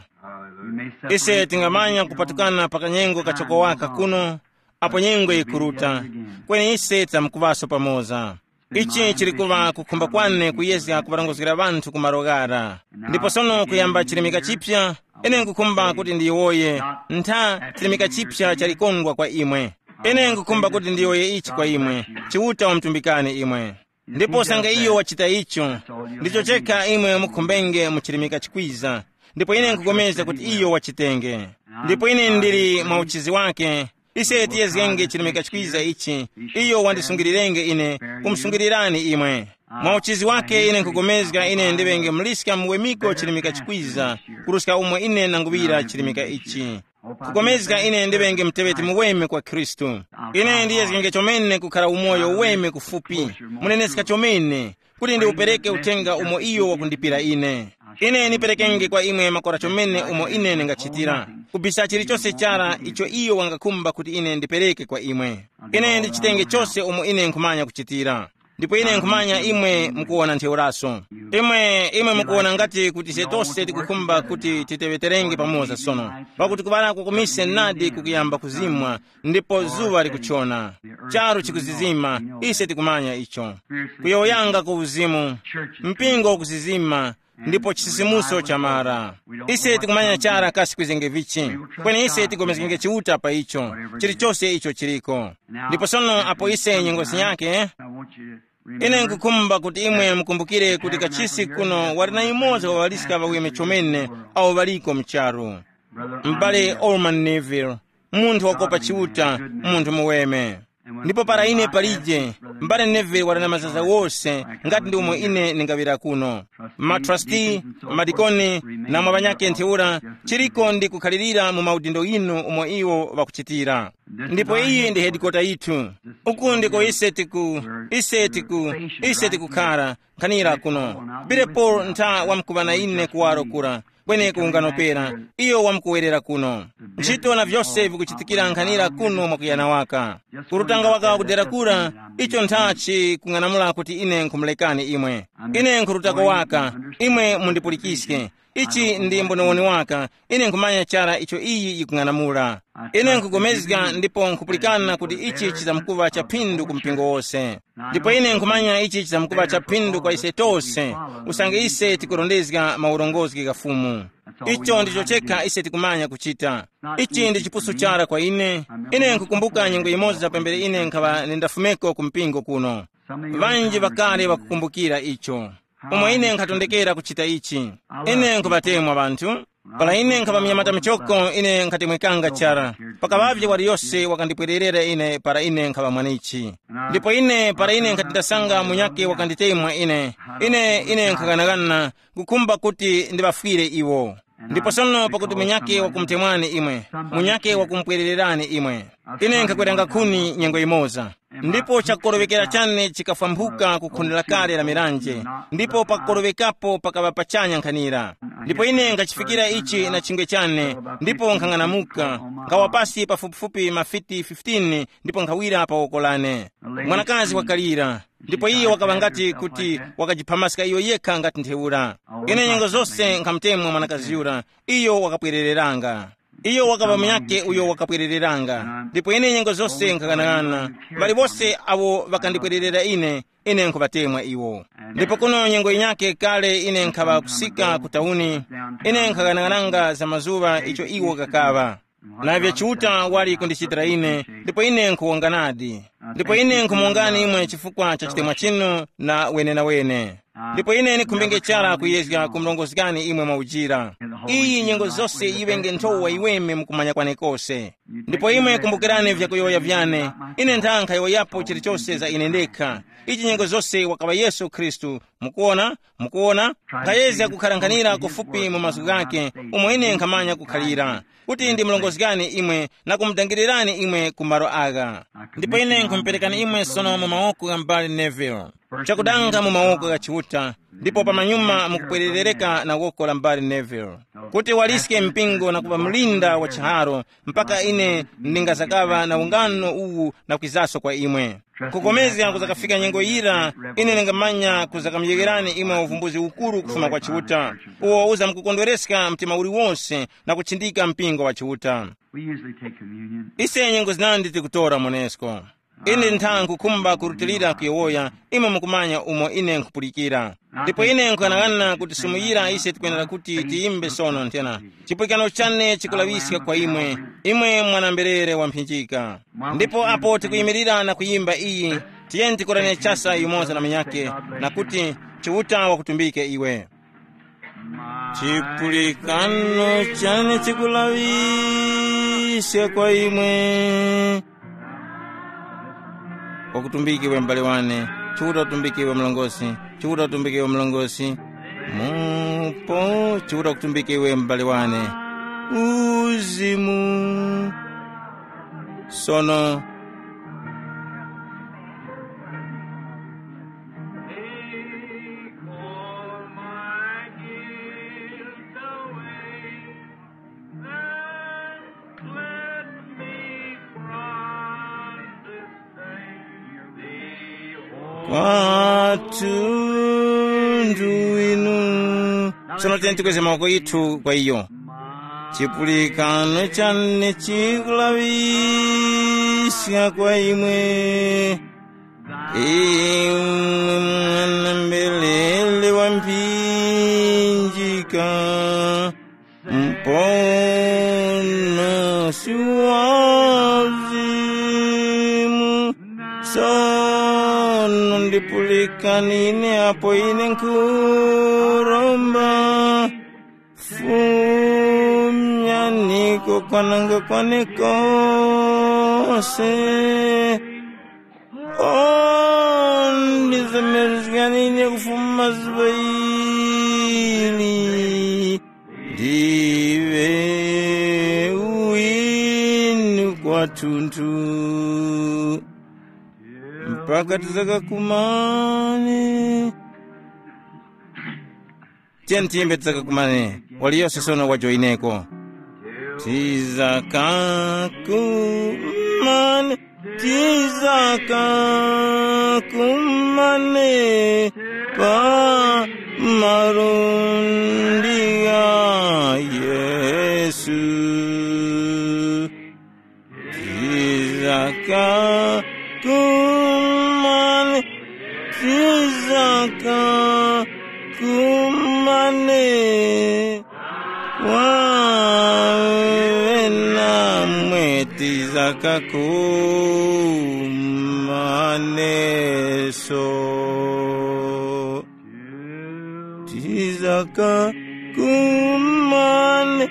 Ise tingamanya kupatukana pa kanyengo kachokowaka kuno, apo nyengo yikuruta, kweni ise tizamukuŵaso pamoza. Ichi chili kuŵa kukhumba kwane kuyezga kuŵarongozgera ŵanthu ku malo ghara. Ndipo sono kuyamba chilimika chipya, ine nkukhumba kuti ndiyowoye, ntha chilimika chipya chalikondwa kwa imwe. Ine nkukhumba kuti ndiyowoye ichi kwa imwe, Chiuta wamutumbikani imwe. Ndipo sanga iyo wachita icho, ndicho chekha imwe mukhumbenge mu chilimika chikwiza, ndipo ine nkupulikana kuti iyo wachitenge. Ndipo ine ndili mwa uchizi wake. Ise tiyezgenge chilemeka chikwiza ichi. Iyo wandisungirirenge ine, kumusungilirani imwe. Mwa uchizi wake ine nkupulikana ine ndiŵenge muliska muwemiko chilemeka chikwiza, kuruska umo ine nanguŵira chilemeka ichi. Kupulikana ine ndiŵenge muteŵeti muweme kwa Khristu. Ine ndiyezgenge chomene kukhara umoyo uweme kufupi, muneneska chomene, kuti ndiupereke uthenga umo iyo wakundipira ine. Ine niperekenge kwa imwe makora chomene umo ine ndingachitira, kubisa chilichose chara icho iyo wangakhumba kuti ine ndipereke kwa imwe. Ine ndichitenge chose umo ine nkhumanya kuchitira. Ndipo ine nkhumanya imwe mukuwona ntheuraso. Imwe, imwe mukuwona ngati kuti ise tose tikukhumba kuti titeŵeterenge pamoza sono, pakuti kuŵala kwa kumise nadi kukuyamba kuzimwa, ndipo zuŵa likuchona. Charu chikuzizima, ise tikumanya icho. Kuyowoyanga ku uzimu, mpingo ukuzizima, ndipo chisisimuso chamara. Ise tikumanya chara kasi kwizenge vichi, kweni ise tigomezgenge Chiuta pa icho, chilichose icho chiliko. Ndipo sono apo ise nyengo zinyake, ine nkukhumba kuti imwe mukumbukire kuti kachisi kuno wali na yumoza wa ŵaliska ŵaweme chomene awo ŵaliko mu charu. M'bale Orman Neville, munthu wakopa Chiuta, munthu muweme. Ndipo para ine palije, m'bale Neville wali na mazaza wose, ngati ndi umo ine ndingaŵira kuno. Matrasti, madikoni, na mwa ŵanyakhe ntheura, chiriko ndi kukhalirira mu maudindo inu umo iwo ŵakuchitira. Ndipo iyi ndi hedikota yithu. Uku ndiko ise tiku, ise tiku, ise tikukhara, nkhanira kuno. Billy Paul ntha wamkuŵa na ine kuwaro kura, kweneko unganopera, iyo wamkuwerera kuno. Ntchito na vyose vikuchitikira nkhanira kuno mwakuyana waka. Kurutanga waka kudera kura, icho ntha chikung'anamula kuti ine nkhumulekani imwe. Ine nkhurutako waka, imwe mundipulikiske. Ichi ndi mbonewoni waka, ine nkhumanya chara icho iyi yikung'anamula. Ine nkhugomezga ndipo nkhupulikana kuti ichi chizamkuŵa cha phindu ku mpingo wose. Ndipo ine nkhumanya ichi chizamkuŵa cha phindu kwa ise tose, usange ise tikurondezga maurongozgi gha Fumu. Icho ndicho chekha ise tikumanya kuchita. Ichi ndi chipusu chara kwa ine. Ine nkukumbuka nyengo yimoza pambere ine nkhaŵa nindafumeko ku mpingo kuno. Ŵanji ŵakale ŵakukumbukira icho. Umo ine nkhatondekera kuchita ichi. Ine nkhuŵatemwa ŵanthu. Para ine nkhaŵa munyamata muchoko, ine nkhatemwekanga chara. Pakaŵavye waliyose wakandipwererera ine para ine nkhaŵa mwanichi. Ndipo ine, para ine nkhati ndasanga munyakhe wakanditemwa ine, ine, ine nkhaganaghana, kukhumba kuti ndiŵafwire iwo. Ndipo sono pakuti munyakhe wakumutemwani imwe, munyakhe wakumupwerererani imwe, ine nkhakweranga nkhuni nyengo yimoza. Ndipo chakukorowekera chane chikafwambuka ku khuni lakale la miranje, ndipo pakukorowekapo pakaŵa pachanya nkhanira. Ndipo ine nkhachifikira ichi na chingwe chane, ndipo nkhang'anamuka, nkhawa pasi pafupifupi mafiti fifteen, ndipo nkhawira pa woko lane. Mwanakazi wakalira, ndipo iye wakaŵa ngati kuti wakajiphamaska iyo yekha ngati ntheura. Ine nyengo zose nkhamutemwa mwanakazi yura, iyo wakapwerereranga. Iyo wakaŵa munyakhe uyo wakapwerereranga, ndipo ine nyengo zose nkhaganaghana. Ŵali wose awo ŵakandipwererera ine, Ine nkhuŵatemwa iwo. Ndipo kuno nyengo yinyakhe kale ine nkhaŵa kusika ku tauni, ine nkhaghanaghananga za mazuŵa icho iwo kakaŵa. Na vya Chiuta wali kundichitira ine, ndipo ine nkhuwonganadi. Ndipo ine nkhumuwongani imwe chifukwa cha chitemwa chinu na wenenawene. Ndipo ine ndikhumbenge chara kuyezga kumurongozgani imwe mwaujira. Iyi nyengo zose yiŵenge nthowa yiweme mukumanya kwane kose. Ndipo imwe kumbukirani vyakuyowoya vyane. Ine nthankha yowoyapo chilichose za ine ndekha. Ichi nyengo zose wakaŵa Yesu Khristu. Mukuona, mukuona. Nkhayezga kukharankhanira kufupi mu mazgu ghake, umo ine nkhamanya kukhalira, kuti ndimurongozgani imwe na kumudangirirani imwe ku malo agha. Ndipo ine nkhumuperekani imwe sono mu mawoko gha m'bale Neville. Chakudanga mu mawoko gha Chiuta, ndipo pamanyuma mukupwererereka na woko la m'bale Neville, kuti waliske mpingo na kuŵa mlinda wa chiharo, mpaka ine ndingazakaŵa na ungano uwu na kwizaso kwa imwe. Kukomezga kuzakafika nyengo yira, ine ndingamanya kuzakamuyegherani imwe uvumbuzi ukuru kufuma kwa Chiuta, uwo uzamkukondwereska mtima uliwonse na kuchindika mpingo wa Chiuta. We usually take communion. Ise nyengo zinandi tikutora monesko. Ine ntha nkhukhumba kurutilira kuyowoya, imwe mukumanya umo ine nkhupulikira. Ndipo ine nkughanagana kuti sumuyira ise tikwenera kuti tiyimbe sono nthena. Chipulikano chane chikulaŵiska kwa imwe, imwe mwana-mberere wamphinjika. Ndipo apo tikuyimirira na kuyimba iyi, tiyeni tikorane chasa yumoza na munyakhe, na kuti, Chiuta wakutumbike iwe. Chipulikano chane chikulaŵiska kwa imwe. Wakutumbike iwe m'bale wane, Chiuta utumbike iwe mlongosi, Chiuta utumbike iwe mlongosi. Mupo, Chiuta kutumbike iwe m'bale wane. Uzimu. Sono. Take all my guilt away. Kwathu ndu inu. Sono tiyeni tikweze mawoko yithu kwa iyo. Chipulikano chane chikulaŵiska kwa imwe. Imwe mwana-mberere wa mphinjika. Muponosi wa uzimu, sono ndipulikani ine apo ine nkhuromba. Fumyaniko kwananga kwane kose. Ondizemerezgani ine kufuma zuŵa ili, ndiŵe uwini kwathunthu. Mpaka tizakakumane. Tiyeni tiyimbe tizakakumane. Waliyose sono wajoyineko. Tizakakumane, tizakakumane pa malundi gha Yesu. Tizakakumane, tizakakumane. Wawe namwe tizakakumaneso. Tizakakumane.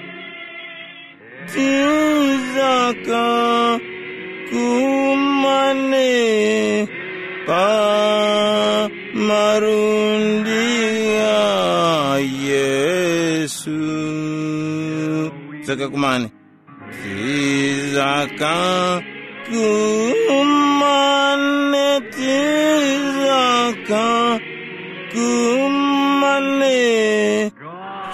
Tizakakumane pa malundi gha Yesu. Tizakakumane. Tizakakumane, tizakakumane.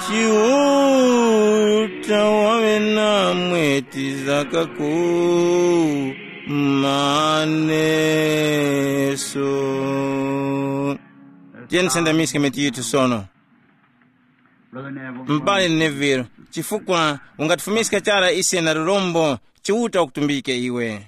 Chiuta wawe namwe tizakakumaneso. Tiyeni tisendamiske mitu yithu sono. Brother Neville. M'bale Neville, chifukwa ungatifumiska chara ise na lurombo, Chiuta wakutumbike iwe.